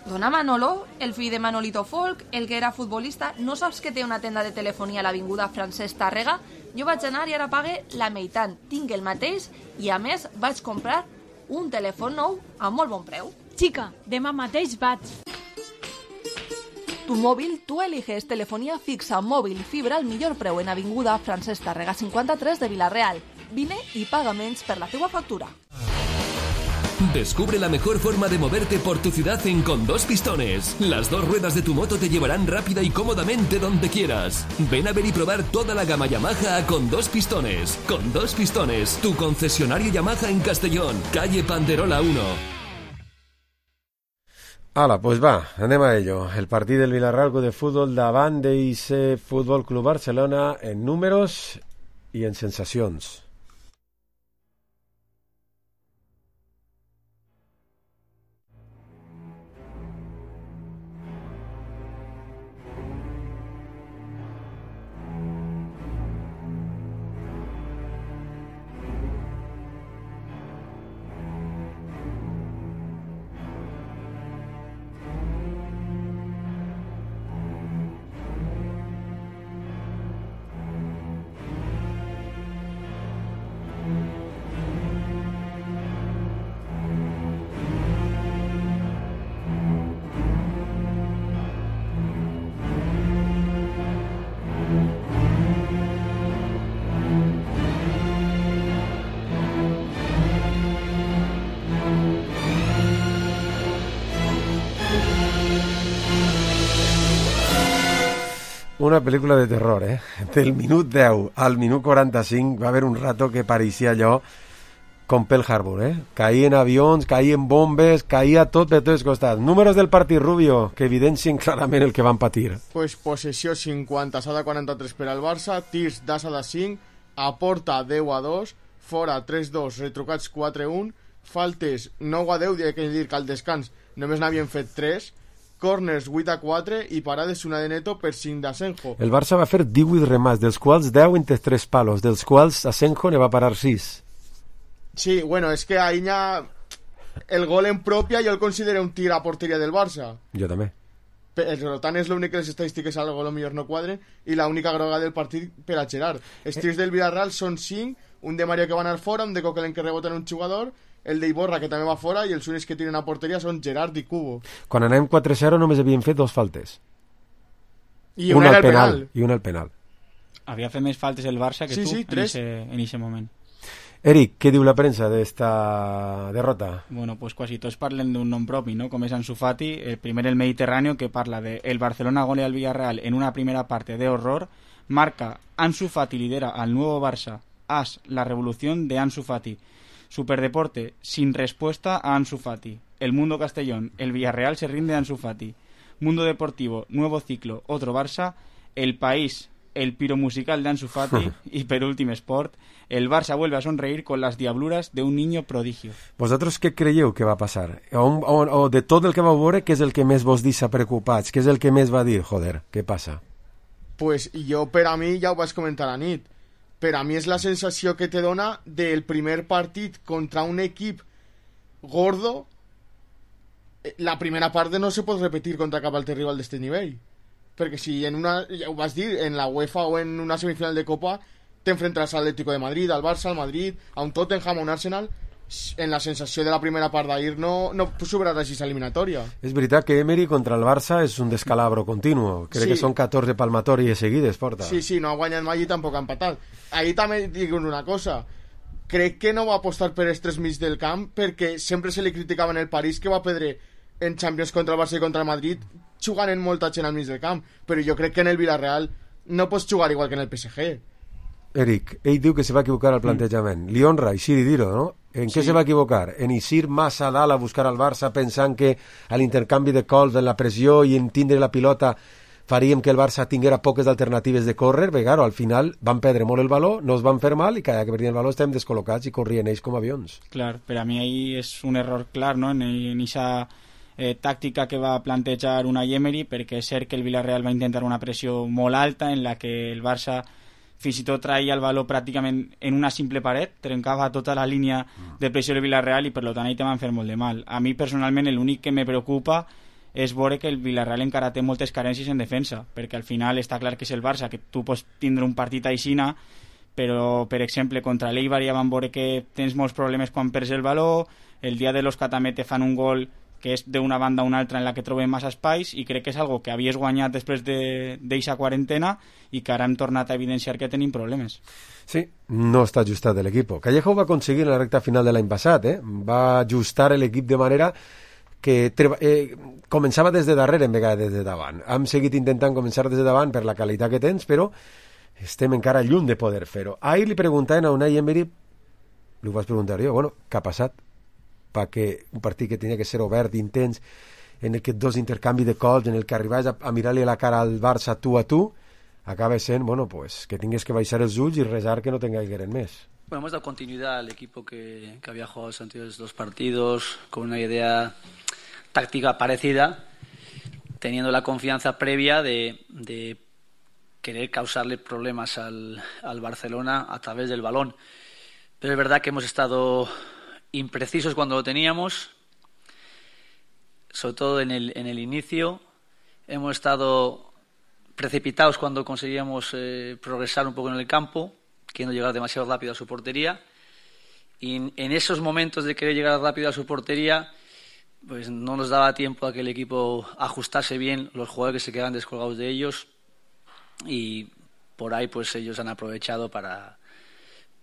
Dona Manolo, el fill de Manolito Folk, el que era futbolista. No saps que té una tenda de telefonia a l'avinguda Francesc Tàrrega? Jo vaig anar i ara pague la meitat. Tinc el mateix i, a més, vaig comprar un telèfon nou a molt bon preu. Xica, demà mateix vaig. Tu mòbil, tu eliges telefonia fixa, mòbil, fibra al millor preu en avinguda Francesc Tàrrega cinquanta-tres de Vilareal. Vine i paga menys per la teua factura. Descubre la mejor forma de moverte por tu ciudad en Con Dos Pistones. Las dos ruedas de tu moto te llevarán rápida y cómodamente donde quieras. Ven a ver y probar toda la gama Yamaha a Con Dos Pistones. Con Dos Pistones, tu concesionario Yamaha en Castellón, calle Panderola uno. Hala, pues va, anem a ello. El partit del Villarreal de futbol davant d'I C Futbol Club Barcelona en números i en sensacions. Una pel·lícula de terror, eh? Del minut deu al minut quaranta-cinc va haver un rato que pareixia allò com Pearl Harbor, eh? Caïen avions, caïen bombes, caïa tot per tots costats. Números del partit, Rubio, que evidencien clarament el que van patir. Pues possessió cinquanta, s'ha de quaranta-tres per al Barça, tirs d'Asa de cinc, a porta deu a dos, fora tres dos, retrucats quatre a un, faltes nou a deu, que dir que al descans només n'havien fet tres, corners vuit a quatre i parades una de Neto per cinc d'Asenjo. El Barça va fer divuit remats, dels quals deu entre tres palos, dels quals Asenjo ne va parar sis. Sí, bueno, és que ahí ha... el gol en pròpia jo el considero un tir a porteria del Barça. Jo també. Per tant, és l'únic que les estadístiques al gol millor no quadren i l'única groga del partit per a Gerard. Els tirs del Villarreal són cinc, un de Mario que va anar fora, un de Coquelin que rebota en un jugador, el d'Iborra que també va fora i els únics que tiren a porteria són Gerard i Cubo. Quan anem quatre zero només havien fet dos faltes. I una, una era el penal. penal. I una al penal. Havia fet més faltes el Barça que sí, tu sí, en ese, en ese moment. Eric, què diu la premsa d'esta derrota? Bueno, pues quasi tots parlen d'un nom propi, ¿no? Com és Ansu Fati, el primer el Mediterráneo, que parla de el Barcelona golea al Villarreal en una primera parte de horror, marca Ansu Fati lidera al nuevo Barça, as la revolución de Ansu Fati. Superdeporte, sin respuesta a Ansu Fati. El Mundo Castellón, el Villarreal se rinde a Ansu Fati. Mundo Deportivo, nuevo ciclo, otro Barça. El País, el piro musical de Ansu Fati y per últim esport, el Barça vuelve a sonreír con las diabluras de un niño prodigio. Vosaltres què creieu que va passar? O, o, o de tot el que vau veure, què és el que més vos deixa preocupats? Què és el que més va dir, joder, què passa? Pues jo, per a mi, ja ho vaig comentar a nit, per a mi és la sensació que te dona del primer partit contra un equip gordo. La primera part no se pot repetir contra cap altre rival d'este nivell, perquè si en una, ja ho vas dir, en la UEFA o en una semifinal de Copa t'enfrontaràs al Atlético de Madrid, al Barça, al Madrid, a un Tottenham, a un Arsenal, en la sensació de la primera part d'ahir no, no superaràs aquesta eliminatòria. És veritat que Emery contra el Barça és un descalabro continuo, crec Sí. que són catorze palmatòries seguides, porta. Sí, sí, no ha guanyat mai i tampoc ha empatat. Ahir també dic una cosa, crec que no va apostar per els tres mig del camp perquè sempre se li criticava en el París que va perdre en Champions contra el Barça i contra el Madrid jugant en molta gent al mig del camp, però jo crec que en el Villarreal no pots jugar igual que en el P S G. Eric, ell diu que se va equivocar al plantejament. Li honra Eixir i dir-ho, no? En què Sí. se va equivocar? En eixir massa a dalt a buscar al Barça pensant que a l'intercanvi de cols, en la pressió i en tindre la pilota faríem que el Barça tinguera poques alternatives de córrer, perquè claro, al final van perdre molt el valor, no es van fer mal i cada que perdien el valor estem descol·locats i corrien ells com avions. Clar, per a mi ahí és un error clar, no?, en aquesta eh, tàctica que va plantejar una Emery, perquè és cert que el Villarreal va intentar una pressió molt alta en la que el Barça fins i tot traia el valor pràcticament en una simple paret, trencava tota la línia de pressió del Villarreal i per tant ahí te van fer molt de mal. A mi personalment l'únic que me preocupa és veure que el Villarreal encara té moltes carències en defensa, perquè al final està clar que és el Barça, que tu pots tindre un partit aixina, però per exemple contra l'Eibar ja van veure que tens molts problemes quan perds el valor, el dia de l'Osca també te fan un gol que és d'una banda a una altra en la que trobem massa espais i crec que és algo que havies guanyat després d'eixa de, quarantena i que ara hem tornat a evidenciar que tenim problemes. Sí, no està ajustat l'equip. Callejo ho va aconseguir en la recta final de l'any passat, eh? Va ajustar l'equip de manera que eh, començava des de darrere en vegada des de davant. Hem seguit intentant començar des de davant per la qualitat que tens, però estem encara lluny de poder fer-ho. Ahir li preguntaven a Unai Emery, li ho vas preguntar jo, bueno, què ha passat? Perquè un partit que tenia que ser obert, intens, en el que dos intercanvis de cols, en el que arribaves a, a mirar-li la cara al Barça tu a tu, acaba sent, bueno, pues, que tingues que baixar els ulls i resar que no tengaigueren més. Bueno, hemos dado continuidad al equipo que, que había jugado los anteriores dos partidos con una idea táctica parecida, teniendo la confianza previa de, de querer causarle problemas al, al Barcelona a través del balón. Pero es verdad que hemos estado imprecisos cuando lo teníamos, sobre todo en el, en el inicio. Hemos estado precipitados cuando conseguíamos eh, progresar un poco en el campo, queriendo llegar demasiado rápido a su portería. Y en, en esos momentos de querer llegar rápido a su portería, pues no nos daba tiempo a que el equipo ajustase bien, los jugadores que se quedaban descolgados de ellos, y por ahí pues ellos han aprovechado para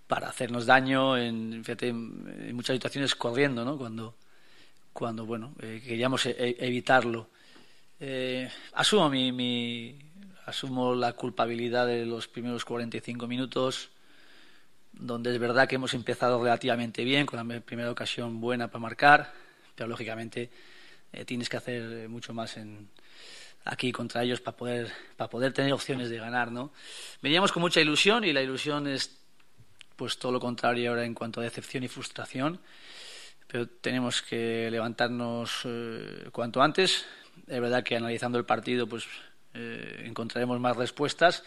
para hacernos daño en, fíjate, en muchas situaciones corriendo, ¿no? Cuando, cuando bueno, eh, queríamos e- evitarlo. Eh, asumo mi, mi, asumo la culpabilidad de los primeros cuarenta y cinco minutos, donde es verdad que hemos empezado relativamente bien, con la primera ocasión buena para marcar, pero lógicamente eh, tienes que hacer mucho más en aquí contra ellos para poder, para poder tener opciones de ganar, ¿no? Veníamos con mucha ilusión y la ilusión es pues todo lo contrario ahora en cuanto a decepción y frustración, pero tenemos que levantarnos eh, cuanto antes. Es verdad que analizando el partido pues eh, encontraremos más respuestas,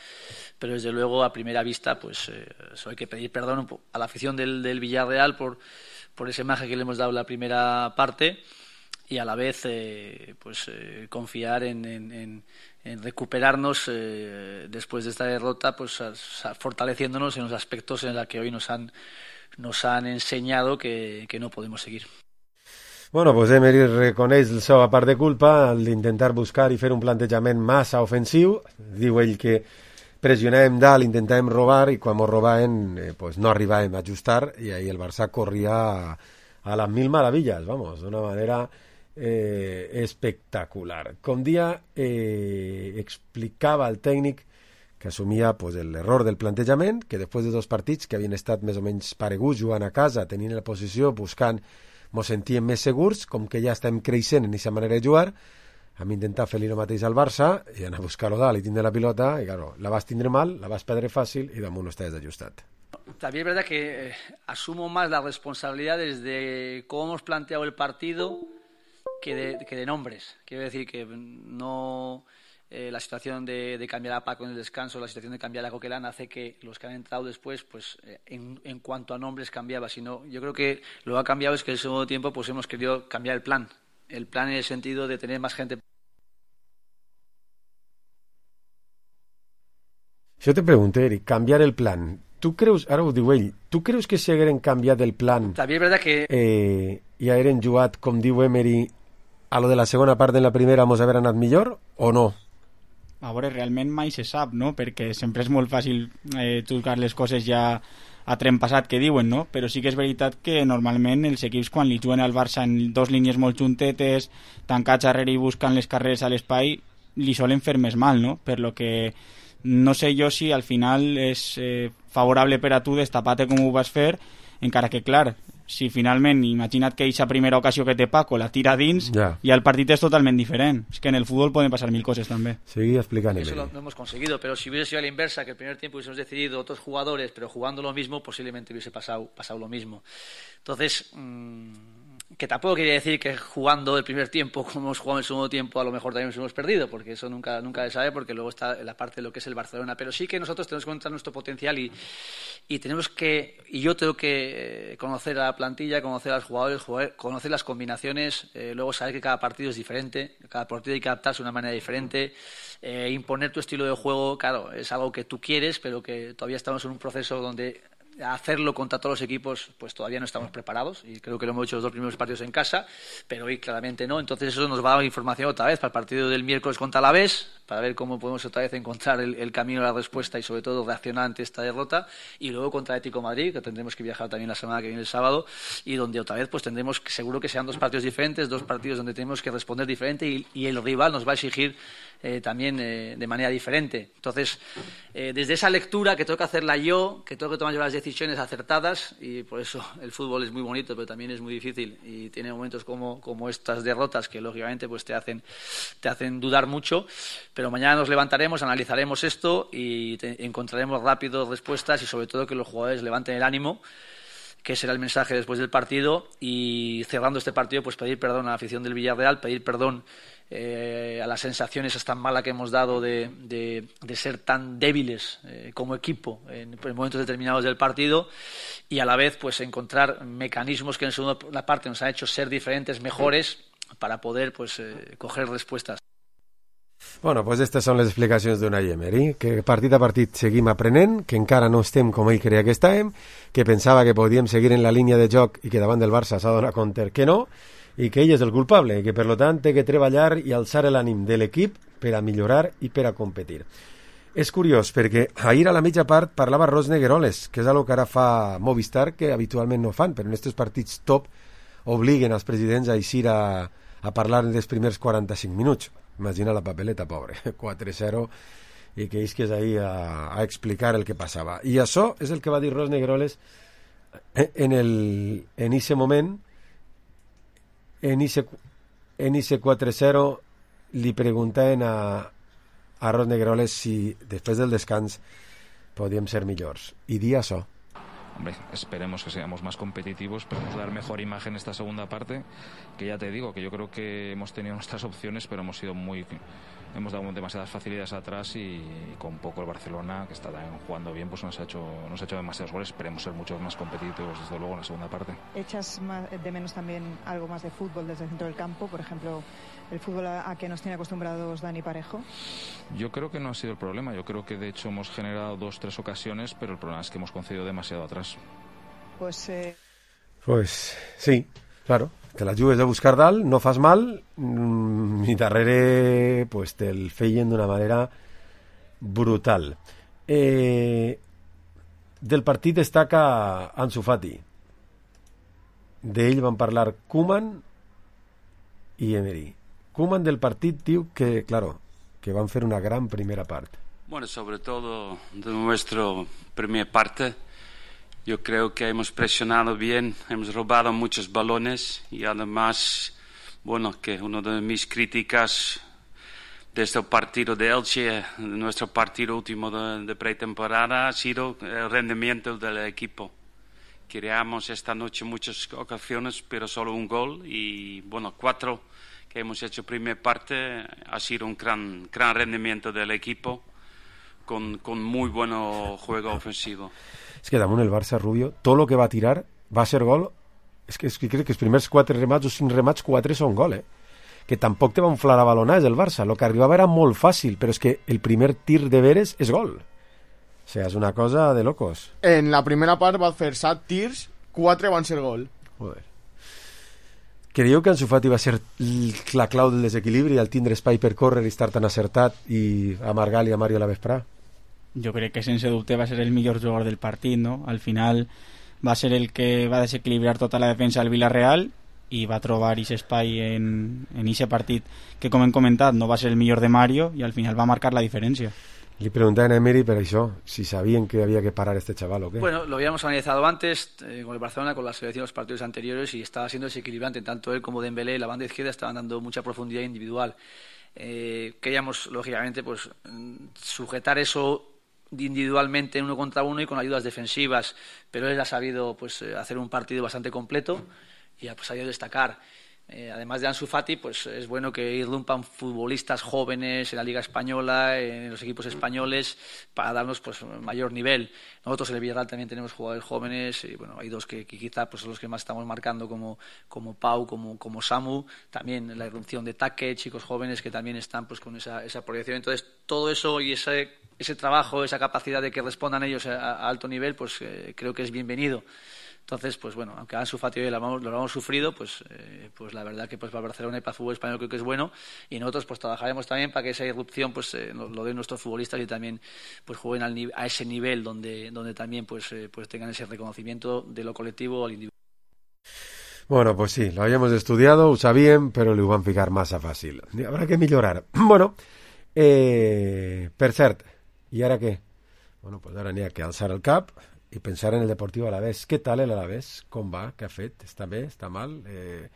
pero desde luego a primera vista pues eh, eso hay que pedir perdón a la afición del, del Villarreal por, por esa imagen que le hemos dado en la primera parte y a la vez eh, pues eh, confiar en, en, en en recuperarnos eh, después de esta derrota, pues a, a, fortaleciéndonos en los aspectos en los que hoy nos han nos han enseñado que, que no podemos seguir. Bueno, pues Emery reconeix la seva part de culpa al d'intentar buscar i fer un plantejament massa ofensiu. Diu ell que pressionàvem dalt, intentàvem robar i quan ens robaven eh, pues no arribàvem a ajustar i ahí el Barça corria a, a las mil maravillas, vamos, d'una manera Eh, espectacular. Com dia eh, explicava el tècnic que assumia pues, l'error del plantejament, que després de dos partits que havien estat més o menys pareguts jugant a casa, tenint la posició, buscant, mos sentíem més segurs, com que ja estem creixent en aquesta manera de jugar, Vam intentar fer-li el mateix al Barça i anar a buscar-lo dalt i tindre la pilota i, claro, la vas tindre mal, la vas perdre fàcil i damunt no estàs ajustat. También es verdad que eh, asumo más la responsabilidad desde cómo hemos planteado el partido que de, que de nombres. Quiero decir que no... Eh, la situación de, de cambiar a Paco en el descanso, la situación de cambiar a Coquelin hace que los que han entrado después, pues eh, en, en cuanto a nombres cambiaba. Sino, yo creo que lo que ha cambiado es que en el segundo tiempo pues hemos querido cambiar el plan. El plan en el sentido de tener más gente. Jo te pregunto, Eric, canviar el plan. Tu creus, ara ho diu ell, tu creus que si hagueren canviat el plan També és veritat que... eh, i hagueren jugat, com diu Emery, a lo de la segona part de la primera mos haver anat millor o no? A veure, realment mai se sap, no? Perquè sempre és molt fàcil eh, tocar les coses ja a tren passat que diuen, no? Però sí que és veritat que normalment els equips quan li juguen al Barça en dos línies molt juntetes, tancats darrere i buscant les carreres a l'espai, li solen fer més mal, no? Per lo que no sé jo si al final és eh, favorable per a tu destapar-te com ho vas fer, encara que, clar, si finalment, imagina't que aquesta primera ocasió que té Paco la tira dins, ja. Y el partit és totalment diferent. És que en el fútbol pueden pasar mil cosas també. Seguí explicant. Eso lo, lo hemos conseguido, pero si hubiese sido a la inversa, que el primer tiempo hubiésemos decidido otros jugadores, pero jugando lo mismo, posiblemente hubiese pasado, pasado lo mismo. Entonces, mmm, que tampoco quería decir que jugando el primer tiempo como hemos jugado en el segundo tiempo a lo mejor también nos hemos perdido, porque eso nunca, nunca se sabe, porque luego está la parte de lo que es el Barcelona, pero sí que nosotros tenemos que encontrar nuestro potencial y, y tenemos que, y yo tengo que conocer a la plantilla, conocer a los jugadores, jugar, conocer las combinaciones, eh, luego saber que cada partido es diferente, cada partido hay que adaptarse de una manera diferente, eh, imponer tu estilo de juego, claro, es algo que tú quieres, pero que todavía estamos en un proceso donde hacerlo contra todos los equipos pues todavía no estamos preparados y creo que lo hemos hecho los dos primeros partidos en casa, pero hoy claramente no, entonces eso nos va a dar información otra vez para el partido del miércoles contra Alavés, para ver cómo podemos otra vez encontrar el, el camino a la respuesta y sobre todo reaccionar ante esta derrota, y luego contra Atlético de Madrid, que tendremos que viajar también la semana que viene el sábado, y donde otra vez pues tendremos que, seguro que sean dos partidos diferentes, dos partidos donde tenemos que responder diferente y, y el rival nos va a exigir eh, también eh, de manera diferente. Entonces, eh, desde esa lectura que tengo que hacerla yo, que tengo que tomar yo las decisiones acertadas, y por eso el fútbol es muy bonito, pero también es muy difícil y tiene momentos como, como estas derrotas que lógicamente pues te hacen, te hacen dudar mucho, pero mañana nos levantaremos, analizaremos esto y te, encontraremos rápido respuestas y sobre todo que los jugadores levanten el ánimo, que será el mensaje después del partido, y cerrando este partido pues pedir perdón a la afición del Villarreal, pedir perdón Eh, a las sensaciones tan malas que hemos dado de, de, de ser tan débiles eh, como equipo en, en momentos determinados del partido, y a la vez pues encontrar mecanismos que en la segunda parte nos han hecho ser diferentes, mejores, para poder pues eh, coger respuestas. Bueno, pues aquestes són les explicacions d'Unai Emery, que partit a partit seguim aprenent, que encara no estem com ell creia que estàvem, que pensava que podíem seguir en la línia de joc i que davant del Barça s'ha donat compte que no, i que ell és el culpable, i que per tant té que treballar i alçar l'ànim de l'equip per a millorar i per a competir. És curiós, perquè ahir a la mitja part parlava Ros Negueroles, que és una que ara fa Movistar, que habitualment no fan, però en aquests partits top obliguen els presidents a eixir a, a parlar dels primers quaranta-cinc minuts. Imagina la papeleta, pobre, quatre zero, i que ells que és ahir a, a explicar el que passava. I això és el que va dir Ros Negueroles en el, en ese moment. En ese, en ese quatre cero li preguntaven a, a Ros Negueroles si després del descans podíem ser millors. I di això. Hombre, esperemos que seamos más competitivos, esperemos dar mejor imagen esta segunda parte, que ya te digo, que yo creo que hemos tenido nuestras opciones, pero hemos sido muy... hemos dado demasiadas facilidades atrás y, y con poco el Barcelona, que está también jugando bien, pues nos ha hecho nos ha hecho demasiados goles. Esperemos ser mucho más competitivos, desde luego, en la segunda parte. ¿Echas más, de menos también algo más de fútbol desde el centro del campo? Por ejemplo, el fútbol a, a que nos tiene acostumbrados Dani Parejo. Yo creo que no ha sido el problema. Yo creo que de hecho hemos generado dos, tres ocasiones, pero el problema es que hemos concedido demasiado atrás. Pues... Eh... Pues sí, claro. Te la jugues de buscar dalt, no fas mal, i darrere pues, te'l feien d'una manera brutal. Eh, del partit destaca Ansu Fati. D'ell van parlar Koeman i Emery. Koeman del partit diu que, claro, que van fer una gran primera part. Bueno, sobre todo de nuestra primera parte. Yo creo que hemos presionado bien, hemos robado muchos balones y además, bueno, que una de mis críticas desde el partido de Elche, nuestro partido último de, de pretemporada, ha sido el rendimiento del equipo. Creamos esta noche muchas ocasiones, pero solo un gol y, bueno, cuatro que hemos hecho primera parte. Ha sido un gran, gran rendimiento del equipo con, con muy buen juego ofensivo. És que damunt el Barça, Rubio, tot el que va tirar va ser gol. És que, és que crec que els primers quatre remats o cinc remats, quatre són gol, eh? Que tampoc te va inflar a balonats el Barça. El que arribava era molt fàcil, però és que el primer tir de veres és gol. O sigui, és una cosa de locos. En la primera part va fer set tirs, quatre van ser gol. Joder. Creieu que Ansu Fati va ser la clau del desequilibri al tindre espai per córrer i estar tan acertat i amargar-li a Mario la vesprà? Jo crec que sense dubte va ser el millor jugador del partit, no? Al final va ser el que va desequilibrar tota la defensa del Villarreal i va trobar aquest espai en en aquest partit que, com hem comentat, no va ser el millor de Mario i al final va marcar la diferència. Li preguntaban a Emery per això, si sabían que había que parar a este chaval o qué. Bueno, lo habíamos analizado antes eh, con el Barcelona, con la selección de los partidos anteriores y estaba siendo desequilibrante, tanto él como Dembélé, la banda izquierda estaban dando mucha profundidad individual. Eh, queríamos, lógicamente, pues sujetar eso individualmente uno contra uno y con ayudas defensivas, pero él ha sabido pues hacer un partido bastante completo y ha pues, sabido destacar. Eh, además de Ansu Fati, pues es bueno que irrumpan futbolistas jóvenes en la Liga Española, en los equipos españoles, para darnos pues mayor nivel. Nosotros en el Villarreal también tenemos jugadores jóvenes y bueno, hay dos que, que quizá pues son los que más estamos marcando, como, como Pau, como, como Samu, también la irrupción de Taque, chicos jóvenes que también están pues con esa, esa proyección. Entonces todo eso y ese, ese trabajo, esa capacidad de que respondan ellos a, a alto nivel, pues eh, creo que es bienvenido. Entonces, pues bueno, aunque Ansu Fati hoy lo hemos, lo hemos sufrido, pues, eh, pues la verdad que pues para Barcelona y para el fútbol español creo que es bueno y nosotros pues trabajaremos también para que esa irrupción pues eh, lo, lo den nuestros futbolistas y también pues jueguen al, a ese nivel donde, donde también pues, eh, pues tengan ese reconocimiento de lo colectivo al individuo. Bueno, pues sí, lo habíamos estudiado, ho sabíem, però li ho van ficar massa fàcil. Habrá que millorar. Bueno, eh, per cert, i ara què? Bueno, pues ara n'hi ha que alçar el cap i pensar en el Deportiu Alavés. Què tal l'Alavés? Com va? Què ha fet? Està bé? Està mal? Eh,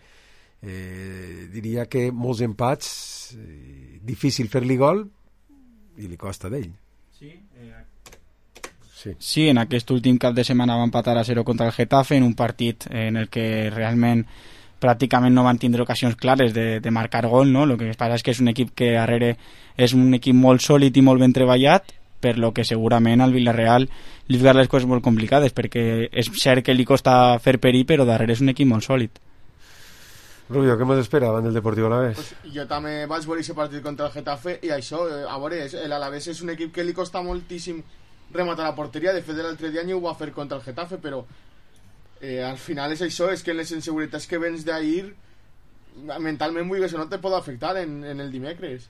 eh, diria que molts empats, eh, difícil fer-li gol i li costa d'ell. Sí, eh, sí. sí, en aquest últim cap de setmana va empatar a zero contra el Getafe en un partit en el que realment pràcticament no van tindre ocasions clares de, de marcar gol, no? El que passa és que és un equip que darrere és un equip molt sòlid i molt ben treballat, per lo que segurament al Villarreal li ficar les coses molt complicades, perquè és cert que li costa fer perir, però darrere és un equip molt sòlid. Rubio, què ens espera davant del Deportiu Alavés? Pues jo també vaig veure aquest partit contra el Getafe i això, a veure, l'Alavés és un equip que li costa moltíssim rematar la porteria. De fet, l'altre dia ni ho va fer contra el Getafe, però eh, al final és això, és que les inseguretats que vens d'ahir mentalment, vull que això no te pot afectar en, en el dimecres.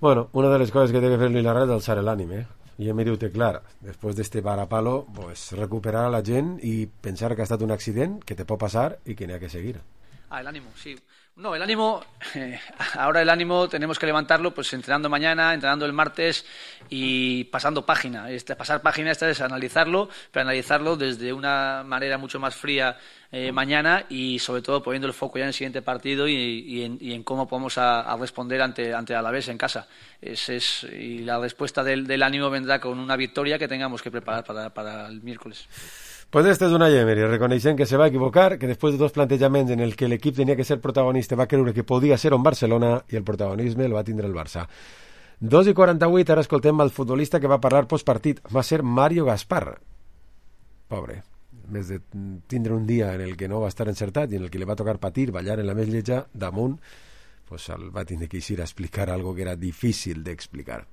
Bueno, una de las cosas que debe hacer el Villarreal es alzar el ánimo, ¿eh? Y Emery ho té clar. Después de este varapalo, pues recuperar a la gent y pensar que ha estat un accident, que te pot pasar y que n'hi ha que seguir. Ah, el ánimo, sí. No, el ánimo, eh, ahora el ánimo tenemos que levantarlo pues entrenando mañana, entrenando el martes y pasando página. Este, pasar página esta es analizarlo, pero analizarlo desde una manera mucho más fría eh, mañana y sobre todo poniendo el foco ya en el siguiente partido y, y, en, y en cómo podemos a, a responder ante, ante Alavés en casa. Es, es, y la respuesta del, del ánimo vendrá con una victoria que tengamos que preparar para, para el miércoles. Pues este és una Emery, reconeixent que se va equivocar, que després de dos plantejaments en el que l'equip tenia que ser protagonista va creure que podia ser un Barcelona i el protagonisme el va tindre el Barça. dos i quaranta-vuit, ara escoltem el futbolista que va parlar postpartit. Va ser Mario Gaspar. Pobre. A més de tindre un dia en el que no va estar encertat i en el que li va tocar patir, ballar en la més lletja, damunt, pues el va tindre que ir a explicar algo que era difícil d'explicar.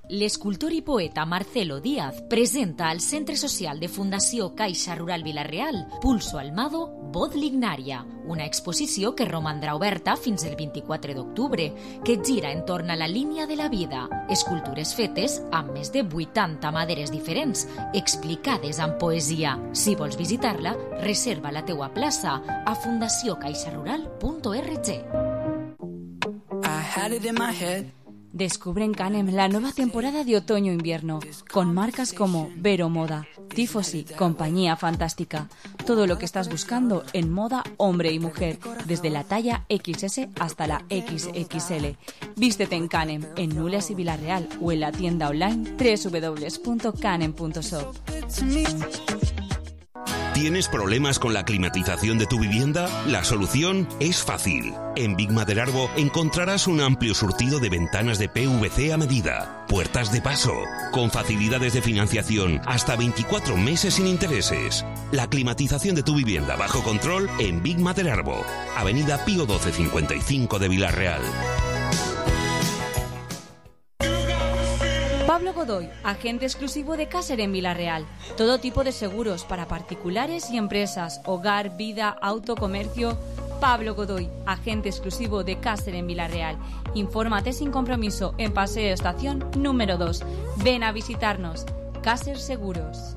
L'escultor i poeta Marcelo Díaz presenta al Centre Social de Fundació Caixa Rural Vila-real Pulso Almado, Voz Lignaria, una exposició que romandrà oberta fins el vint-i-quatre d'octubre, que gira entorn a la línia de la vida, escultures fetes amb més de vuitanta maderes diferents, explicades amb poesia. Si vols visitar-la, reserva la teua plaça a fundació caixa rural punt org. I had it in my head Descubre en Canem la nueva temporada de otoño-invierno, con marcas como Vero Moda, Tifosi, Compañía Fantástica. Todo lo que estás buscando en moda hombre y mujer, desde la talla equis ese hasta la equis equis ele. Vístete en Canem, en Nules y Villarreal, o en la tienda online doble u doble u doble u punto canem punto shop. ¿Tienes problemas con la climatización de tu vivienda? La solución es fácil. En Big Maderarbo encontrarás un amplio surtido de ventanas de P V C a medida, puertas de paso, con facilidades de financiación hasta veinticuatro meses sin intereses. La climatización de tu vivienda bajo control en Big Maderarbo, Avenida Pío doce cincuenta y cinco de Villarreal. Pablo Godoy, agente exclusivo de Caser en Villarreal. Todo tipo de seguros para particulares y empresas, hogar, vida, auto, comercio. Pablo Godoy, agente exclusivo de Caser en Villarreal. Infórmate sin compromiso en Paseo Estación número dos. Ven a visitarnos. Caser Seguros.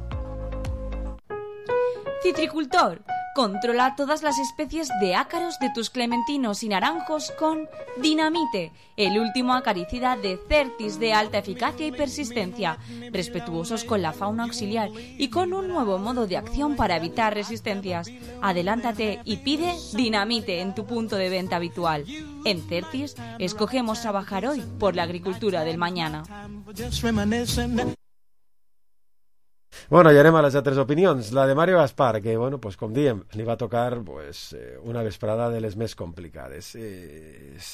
Citricultor. Controla todas las especies de ácaros de tus clementinos y naranjos con Dinamite, el último acaricida de Certis de alta eficacia y persistencia, respetuosos con la fauna auxiliar y con un nuevo modo de acción para evitar resistencias. Adelántate y pide Dinamite en tu punto de venta habitual. En Certis, escogemos trabajar hoy por la agricultura del mañana. Bueno, ja anem a les altres opinions. La de Mario Gaspar, que, bueno, pues, com diem, li va tocar pues, una vesprada de les més complicades. Eh, és...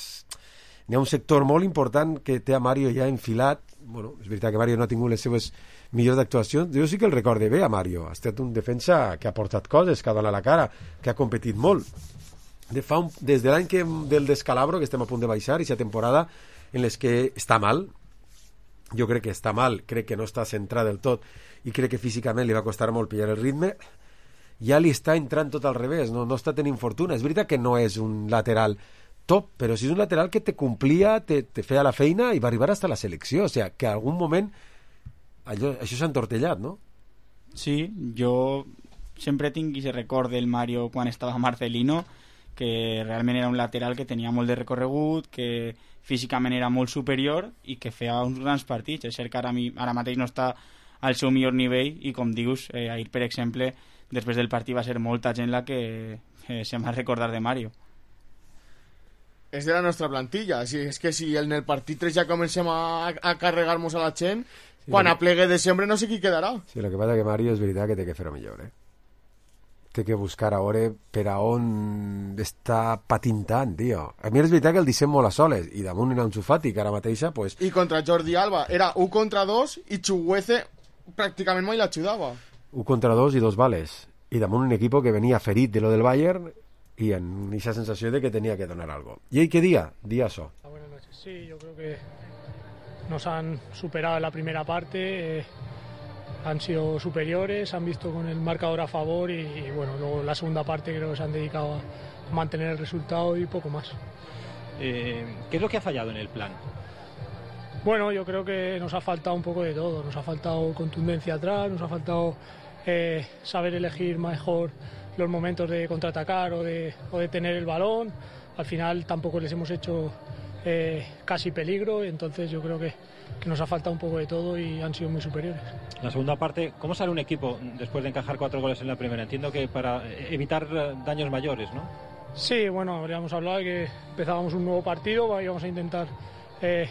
N'hi ha un sector molt important que té a Mario ja enfilat. Bueno, és veritat que Mario no ha tingut les seves millors actuacions. Jo sí que el recorde bé a Mario. Ha estat un defensa que ha portat coses, que ha donat la cara, que ha competit molt. De fa un... Des de l'any que... del descalabro, que estem a punt de baixar, i aquesta temporada en les que està mal, jo crec que està mal, crec que no està centrat del tot, i crec que físicament li va costar molt pillar el ritme, ja li està entrant tot al revés, no, no està tenint fortuna. És veritat que no és un lateral top, però si és un lateral que te complia, te, te feia la feina i va arribar fins a la selecció, o sigui, que en algun moment allò, això s'ha entortellat, no? Sí, jo sempre tinc aquest record del Mario quan estava a Marcelino, que realment era un lateral que tenia molt de recorregut, que físicament era molt superior i que feia uns grans partits. És cert que ara, mi, ara mateix no està al seu millor nivell i, com dius, eh, ahir, per exemple, després del partit va ser molta gent la que eh, se m'ha recordar de Mario. És de la nostra plantilla. Si, és que si en el partit tres ja comencem a, a carregar-nos a la gent, sí, quan a plegue de sempre no sé qui quedarà. Sí, el que passa que Mario és veritat que té que fer-ho millor, eh? Té que buscar a veure per a on està patintant, tio. A mi és veritat que el dissem molt a soles, i damunt en Ansu Fati, que ara mateixa, pues... I contra Jordi Alba era un contra dos i Chuguece pràcticament mai l'ajudava. Un contra dos i dos vales. I damunt un equip que venia ferit de lo del Bayern y en esa sensación de que tenía que donar algo. ¿Y ahí qué día? Día eso. Buenas noches. Sí, yo creo que nos han superado en la primera parte. Eh... han sido superiores, han visto con el marcador a favor y, y bueno, luego la segunda parte creo que se han dedicado a mantener el resultado y poco más. Eh, ¿Qué es lo que ha fallado en el plan? Bueno, yo creo que nos ha faltado un poco de todo, nos ha faltado contundencia atrás, nos ha faltado eh, saber elegir mejor los momentos de contraatacar o de, o de tener el balón. Al final tampoco les hemos hecho eh, casi peligro, entonces yo creo que que nos ha faltado un poco de todo y han sido muy superiores. La segunda parte, ¿cómo sale un equipo después de encajar cuatro goles en la primera? Entiendo que para evitar daños mayores, ¿no? Sí, bueno, habríamos hablado de que empezábamos un nuevo partido, íbamos a intentar eh,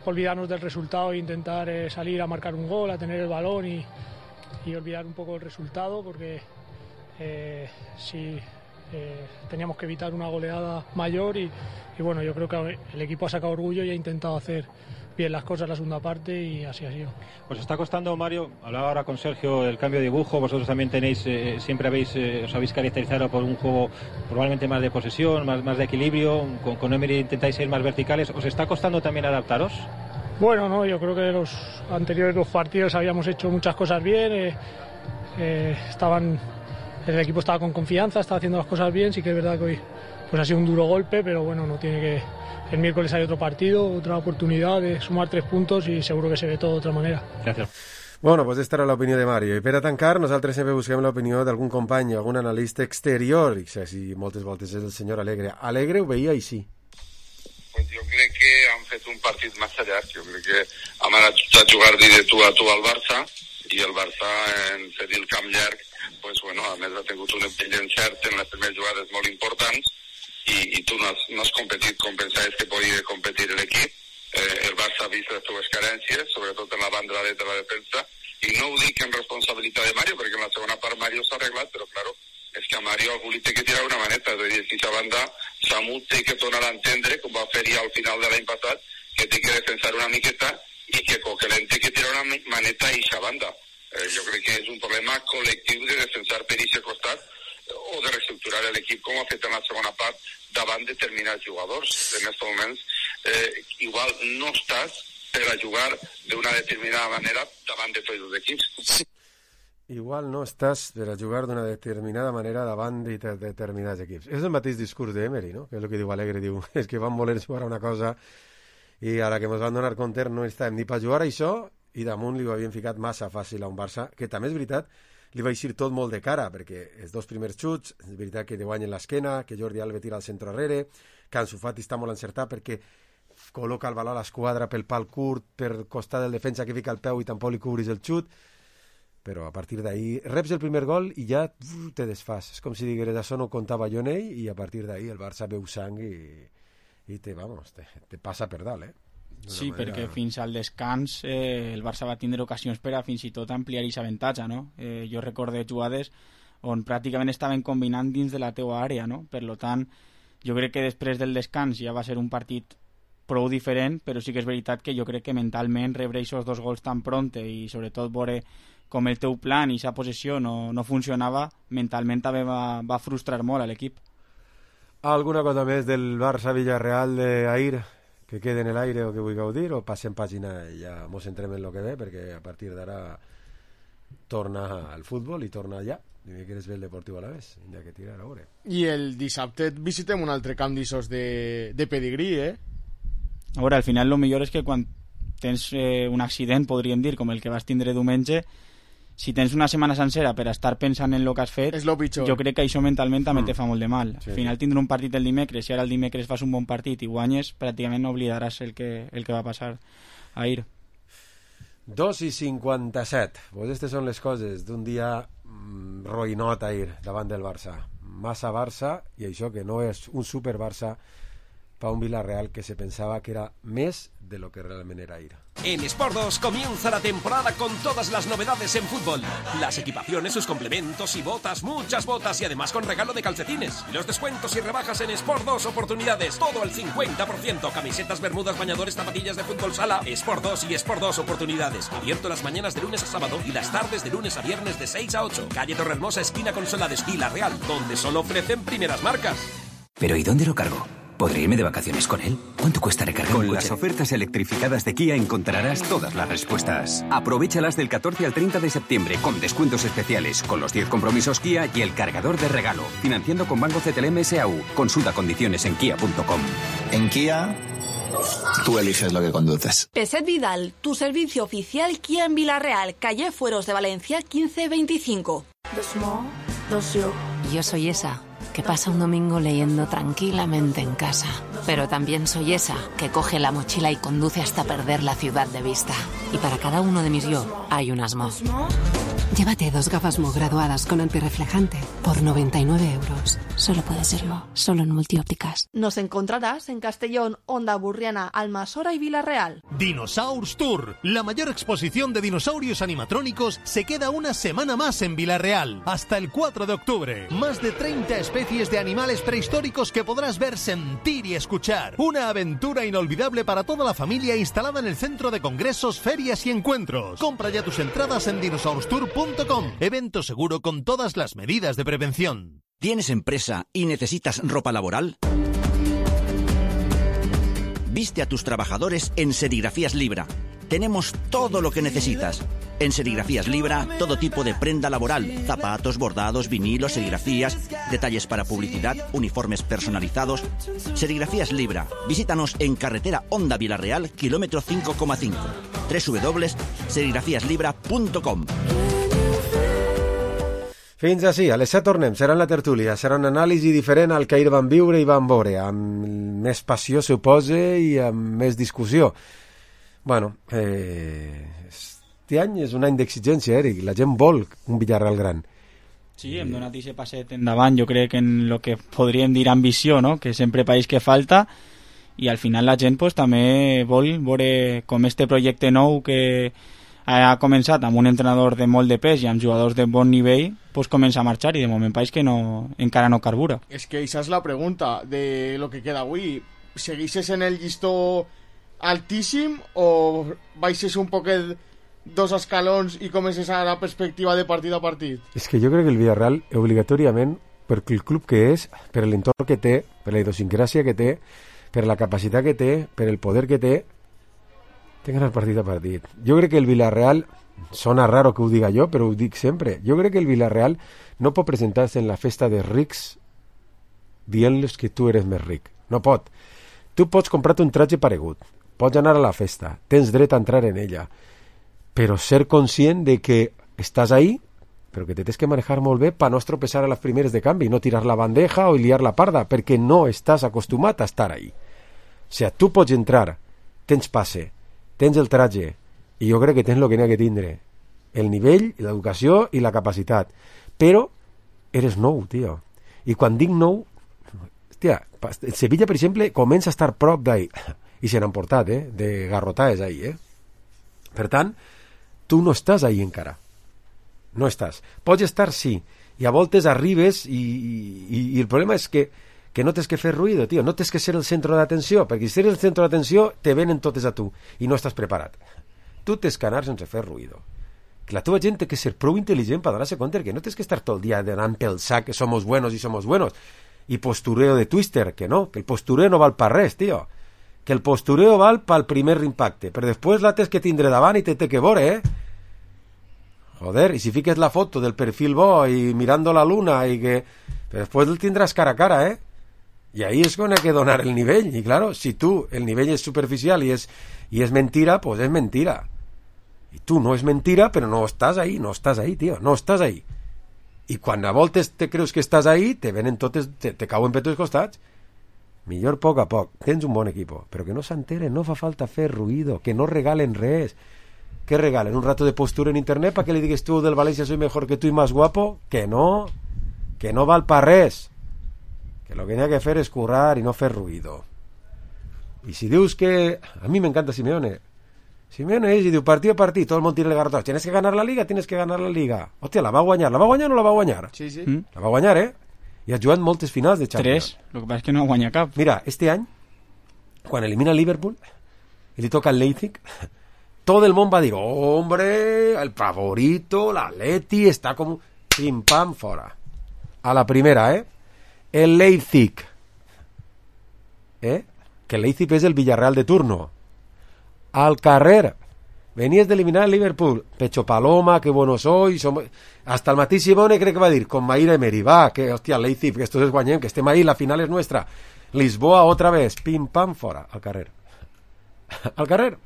olvidarnos del resultado e intentar eh, salir a marcar un gol, a tener el balón y, y olvidar un poco el resultado, porque eh, si eh, teníamos que evitar una goleada mayor y, y bueno, yo creo que el equipo ha sacado orgullo y ha intentado hacer bien las cosas la segunda parte y así ha sido. Os está costando, Mario, hablaba ahora con Sergio, el cambio de dibujo. Vosotros también tenéis, eh, siempre habéis, eh, os habéis caracterizado por un juego probablemente más de posesión, más, más de equilibrio. Con, con Emery intentáis ser más verticales. ¿Os está costando también adaptaros? Bueno, no, yo creo que los anteriores dos partidos habíamos hecho muchas cosas bien. Eh, eh, estaban, el equipo estaba con confianza, estaba haciendo las cosas bien. Sí que es verdad que hoy pues ha sido un duro golpe, pero bueno, no tiene que... El miércoles hay otro partido, otra oportunidad de sumar tres puntos y seguro que se ve todo de otra manera. Gracias. Bueno, pues esta era l'opinió de Mario. I per a tancar, nosaltres sempre busquem l'opinió d'algun company, algun analista exterior, i si moltes voltes és el senyor Alegre. Alegre ho veia així. Pues jo crec que han fet fet un partit massa llarg. Jo crec que hem anat a jugar-li de tu a tu al Barça, i el Barça, en fer-hi el camp llarg, pues, bueno, a més ha tingut un empell d'encert en les primeres jugades molt importants, i, i tu no has, no has competit com pensaves que podia competir l'equip. Eh, el Barça ha vist les teves carències, sobretot en la banda dreta de la defensa, i no ho dic en responsabilitat de Mario, perquè en la segona part Mario s'ha arreglat, però claro, és que a Mario algú li té que tirar una maneta, és a dir, aquesta banda Samu té que tornar a entendre, com va fer-hi al final de l'any passat, que té que defensar una miqueta i que Coquelin té que tirar una maneta a aquesta banda. Eh, jo crec que és un problema col·lectiu de defensar per aquest costat o de reestructurar l'equip com ha fet en la segona part davant determinats jugadors. En aquests moments eh, igual no estàs per a jugar d'una determinada manera davant de tots els equips. Sí. Igual no estàs per a jugar d'una determinada manera davant de determinats equips. És el mateix discurs d'Emery, no? Que és el que diu Alegre, diu, és que van voler jugar a una cosa i ara que ens van donar compte no estàvem ni per jugar a això, i damunt li ho havien ficat massa fàcil a un Barça, que també és veritat, li va eixir tot molt de cara, perquè els dos primers xuts, és veritat que li guanyen l'esquena, que Jordi Alba tira al centre arrere, que Ansu Fati està molt encertat perquè col·loca el baló a l'esquadra pel pal curt, per costat del defensa que fica el peu i tampoc li cobris el xut, però a partir d'ahir reps el primer gol i ja uf, te desfas. És com si digueres, això no comptava jo en ell, i a partir d'ahir el Barça veu sang i, i te, vamos, te, te passa per dalt, eh? Sí, manera... perquè fins al descans eh, el Barça va tindre ocasions per a fins i tot ampliar aquesta avantatge, no? Eh, jo recordo jugades on pràcticament estaven combinant dins de la teua àrea, no? Per lo tant, jo crec que després del descans ja va ser un partit prou diferent, però sí que és veritat que jo crec que mentalment rebre aquests dos gols tan pronte i sobretot veure com el teu plan i aquesta possessió no, no funcionava, mentalment també va, va frustrar molt a l'equip. Alguna cosa més del Barça-Villarreal d'ahir que quede en l'aire o que vulgueu dir, o passem pàgina i ja mos centrem en el que ve, perquè a partir d'ara torna al futbol i torna allà. Dimecres ve el Deportiu Alavés, ja que tirar a veure. I el dissabte visitem un altre camp d'issos de, de pedigrí, eh? A veure, al final el millor és que quan tens eh, un accident, podríem dir, com el que vas tindre diumenge, si tens una setmana sencera per estar pensant en el que has fet, és lo pitjor. Jo crec que això mentalment també Mm. te fa molt de mal. Sí. Al final tindre un partit el dimecres, si ara el dimecres fas un bon partit i guanyes, pràcticament no oblidaràs el que, el que va passar ahir. dos i cinquanta-set. Pues aquestes són les coses d'un dia mm, roïnot ahir davant del Barça. Massa Barça, i això que no és un super Barça, para un Villarreal que se pensaba que era més de lo que realmente era ahir. En Sport dos comienza la temporada con todas las novedades en fútbol. Las equipaciones, sus complementos y botas, muchas botas y además con regalo de calcetines. Los descuentos y rebajas en Sport dos Oportunidades, todo al cincuenta por ciento. Camisetas, bermudas, bañadores, zapatillas de fútbol sala. Sport dos y Sport dos Oportunidades. Abierto las mañanas de lunes a sábado y las tardes de lunes a viernes de seis a ocho. Calle Torrehermosa, esquina con Solades, Villarreal, donde solo ofrecen primeras marcas. ¿Pero y dónde lo cargo? ¿Podré irme de vacaciones con él? ¿Cuánto cuesta recargar un coche? Con las ofertas electrificadas de Kia encontrarás todas las respuestas. Aprovéchalas del catorce al treinta de septiembre con descuentos especiales, con los diez compromisos Kia y el cargador de regalo. Financiando con Banco C T L M S A U. Consulta condiciones en kia punto com. En Kia, tú eliges lo que conduces. Peset Vidal, tu servicio oficial Kia en Villarreal, calle Fueros de Valencia quince veinticinco. Yo soy esa que pasa un domingo leyendo tranquilamente en casa. Pero también soy esa que coge la mochila y conduce hasta perder la ciudad de vista. Y para cada uno de mis yo hay un Asmo. Llévate dos gafas Mo graduadas con antirreflejante por noventa y nueve euros. Solo puede serlo, solo en Multiópticas. Nos encontrarás en Castellón, Onda Burriana, Almasora y Villarreal. Dinosaurs Tour, la mayor exposición de dinosaurios animatrónicos, se queda una semana más en Villarreal, hasta el cuatro de octubre. Más de treinta especies de animales prehistóricos que podrás ver, sentir y escuchar. Una aventura inolvidable para toda la familia instalada en el centro de congresos, ferias y encuentros. Compra ya tus entradas en dinosaurs tour punto com. Evento seguro con todas las medidas de prevención. ¿Tienes empresa y necesitas ropa laboral? Viste a tus trabajadores en Serigrafías Libra. Tenemos todo lo que necesitas. En Serigrafías Libra, todo tipo de prenda laboral, zapatos, bordados, vinilos, serigrafías, detalles para publicidad, uniformes personalizados. Serigrafías Libra. Visítanos en carretera Honda Villarreal, kilómetro cinco coma cinco. doble u doble u doble u punto serigrafías libra punto com. Fins així, a les set tornem, serà en la tertúlia, serà una anàlisi diferent al que ahir van viure i van veure, amb més passió, suposa, i amb més discussió. Bueno, eh, este any és un any d'exigència, Eric, la gent vol un Villarreal gran. Sí, hem donat aquest passet endavant, jo crec que en el que podríem dir ambició, no? Que sempre país que falta, i al final la gent pues, també vol veure com este projecte nou que ha començat amb un entrenador de molt de pes i amb jugadors de bon nivell, pues comença a marxar i de moment país que no, encara no carbura. És que esa és la pregunta de lo que queda avui. Seguixes en el llistó altíssim o baixes un poquet dos escalons i comences a la perspectiva de partit a partit? És que jo crec que el Villarreal, obligatòriament, per el club que és, per l'entorn que té, per la idiosincràsia que té, per la capacitat que té, per el poder que té, té que anar partit a partit. Jo crec que el Villarreal, sona raro que ho diga jo, però ho dic sempre, jo crec que el Villarreal no pot presentar-se en la festa de rics dient-los que tu eres més ric. No pot. Tu pots comprar-te un tratge paregut, pots anar a la festa, tens dret a entrar en ella, però ser conscient de que estàs ahí, però que te tens que manejar molt bé per no estropeçar a les primeres de canvi, no tirar la bandeja o liar la parda, perquè no estàs acostumat a estar ahí. O sigui, tu pots entrar, tens passe, tens el tratge, i jo crec que tens el que n'hi ha que tindre, el nivell, l'educació i la capacitat, però eres nou, tio. I quan dic nou, hòstia, el Sevilla, per exemple, comença a estar prop d'ahí, i se n'han portat, eh, de garrotades ahí, eh. Per tant, tu no estàs ahí encara. No estàs. Pots estar, sí, i a voltes arribes i, i, i el problema és que que no tens que fer ruïdo, tio, no tens que ser el centre d'atenció, perquè si eres el centre d'atenció te venen totes a tu i no estàs preparat. Tu tens que anar sense fer ruïdo. Que la teva gent té que ser prou intel·ligent per donar-se compte que no tens que estar tot el dia anant pel sac que somos buenos i somos buenos i postureo de Twister, que no, que el postureo no val per res, tio, que el postureo val pel primer impacte, però després la tens que tindre davant i te té que veure, eh? Joder, i si fiques la foto del perfil bo i mirando la luna i que... però després el tindràs cara a cara, eh? I ahí és quan hay que donar el nivell. I claro, si tu el nivell és superficial i és, i és mentira, pues és mentira. I tu no és mentira, però no estàs ahí, no estàs ahí, tio, no estàs ahí. I quan a voltes te creus que estàs ahí, te venen totes, te, te cauen per tots costats. Millor poc a poc. Tens un bon equip, però que no s'enteren, no fa falta fer ruïdo, que no regalen res. ¿Qué regalen? ¿Un rato de postura en internet para que le digas tú del Valencia soy mejor que tú y más guapo? Que no, que no val pa res. Que lo que hay que hacer es currar y no hacer ruido. Y si dius que... A mí me encanta Simeone. Simeone és i diu partit a partit, tot el món tira el garrotot. Tienes que ganar la liga, tienes que ganar la liga. Hòstia, la va guanyar. La va guanyar o no la va guanyar? Sí, sí. Mm. La va guanyar, eh? I ha jugat moltes finals de Champions. Tres, lo que pasa es que no guanya cap. Mira, este any, quan elimina el Liverpool i li toca el Leipzig, todo el mundo va a decir, hombre, el favorito, la Atleti, está como pim pam fora. A la primera, ¿eh? El Leipzig. ¿Eh? Que el Leipzig es el Villarreal de turno. Al carrer. Venías de eliminar el Liverpool. Pecho paloma, qué bueno soy. Somos... Hasta el mateix Simone cree que va a decir, con Maíra Emery, va, que hostia, el Leipzig, que esto es guanyem, que estem ahí, la final es nuestra. Lisboa otra vez, pim pam fora. Al carrer. Al carrer.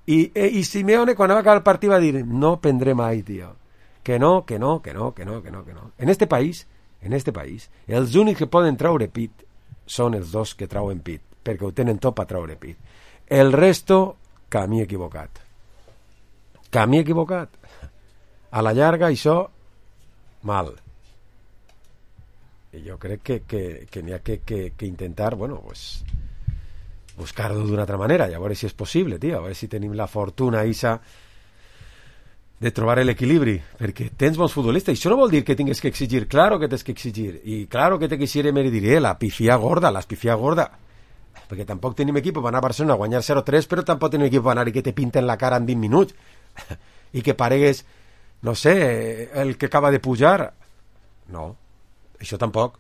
I, i Simeone quan va acabar el partit va dir no prendré mai, tio, que no, que no, que no, que no, que no, que no. En este país, en este país, els únics que poden traure pit són els dos que trauen pit, perquè ho tenen tot per traure pit. El resto, camí equivocat. Camí equivocat. A la llarga, això, mal. I jo crec que, que, que n'hi ha que, que, que intentar, bueno, pues... buscar-ho d'una altra manera, i a veure si és possible, tio, a veure si tenim la fortuna isa de trobar l'equilibri, perquè tens bons futbolistes, i això no vol dir que tingues que exigir, claro que tens que exigir, i claro que te quisiera me diré, la pifia gorda, la pifia gorda, perquè tampoc tenim equip per anar a Barcelona a guanyar zero tres, però tampoc tenim equip per anar i que te pinten la cara en vint minuts, i que paregues, no sé, el que acaba de pujar, no, això tampoc,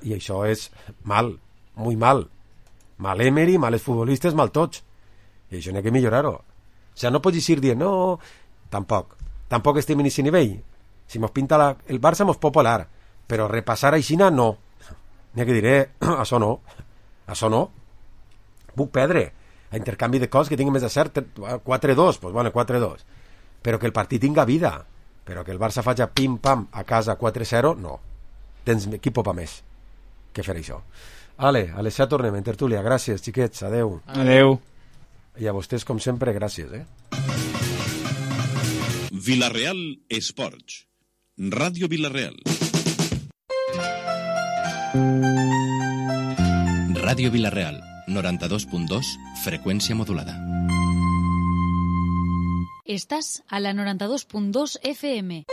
i això és mal, muy mal, mal Emery, males futbolistes, mal tots. I això n'hi ha que millorar-ho. O sigui, no pots dir dient, no, tampoc. Tampoc estem en aquest nivell. Si mos pinta la, el Barça mos pot polar, però repassar a Xina no. N'hi ha que dir, eh, això no. Això no. Puc perdre. A intercanvi de coses que tingui més de cert, quatre dos, doncs bueno, quatre dos. Però que el partit tinga vida. però que el Barça faci pim-pam a casa quatre zero, no. Tens equip pa més que fer això. Ale, a les set tornem en tertúlia. Gràcies, xiquets, adeu. Adeu. I a vostès, com sempre, gràcies, eh? Vilareal Esports. Ràdio Vilareal. Ràdio Vilareal, noranta-dos punt dos, freqüència modulada. Estás a la noranta-dos punt dos F M.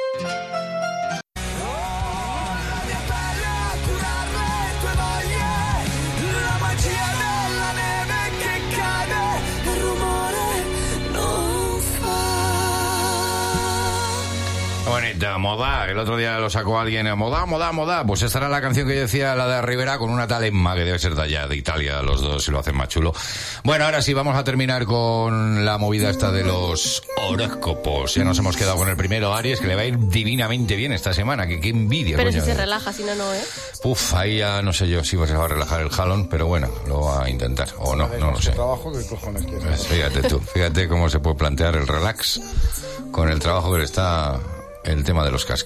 Bonita, moda. El otro día lo sacó alguien, moda, moda, moda. Pues esta era la canción que yo decía, la de Rivera, con una tal Emma, que debe ser de allá, de Italia, los dos, y lo hacen más chulo. Bueno, ahora sí, vamos a terminar con la movida esta de los horóscopos. Ya nos hemos quedado con el primero, Aries, que le va a ir divinamente bien esta semana, que qué envidia. Pero coño. si se relaja, si no, no, ¿eh? Uf, ahí ya no sé yo si se va a relajar el jalón, pero bueno, lo va a intentar, o no, no lo sé. Trabajo, ¿qué cojones quieres? Pues fíjate tú, fíjate cómo se puede plantear el relax con el trabajo que le está el tema de los casquillos.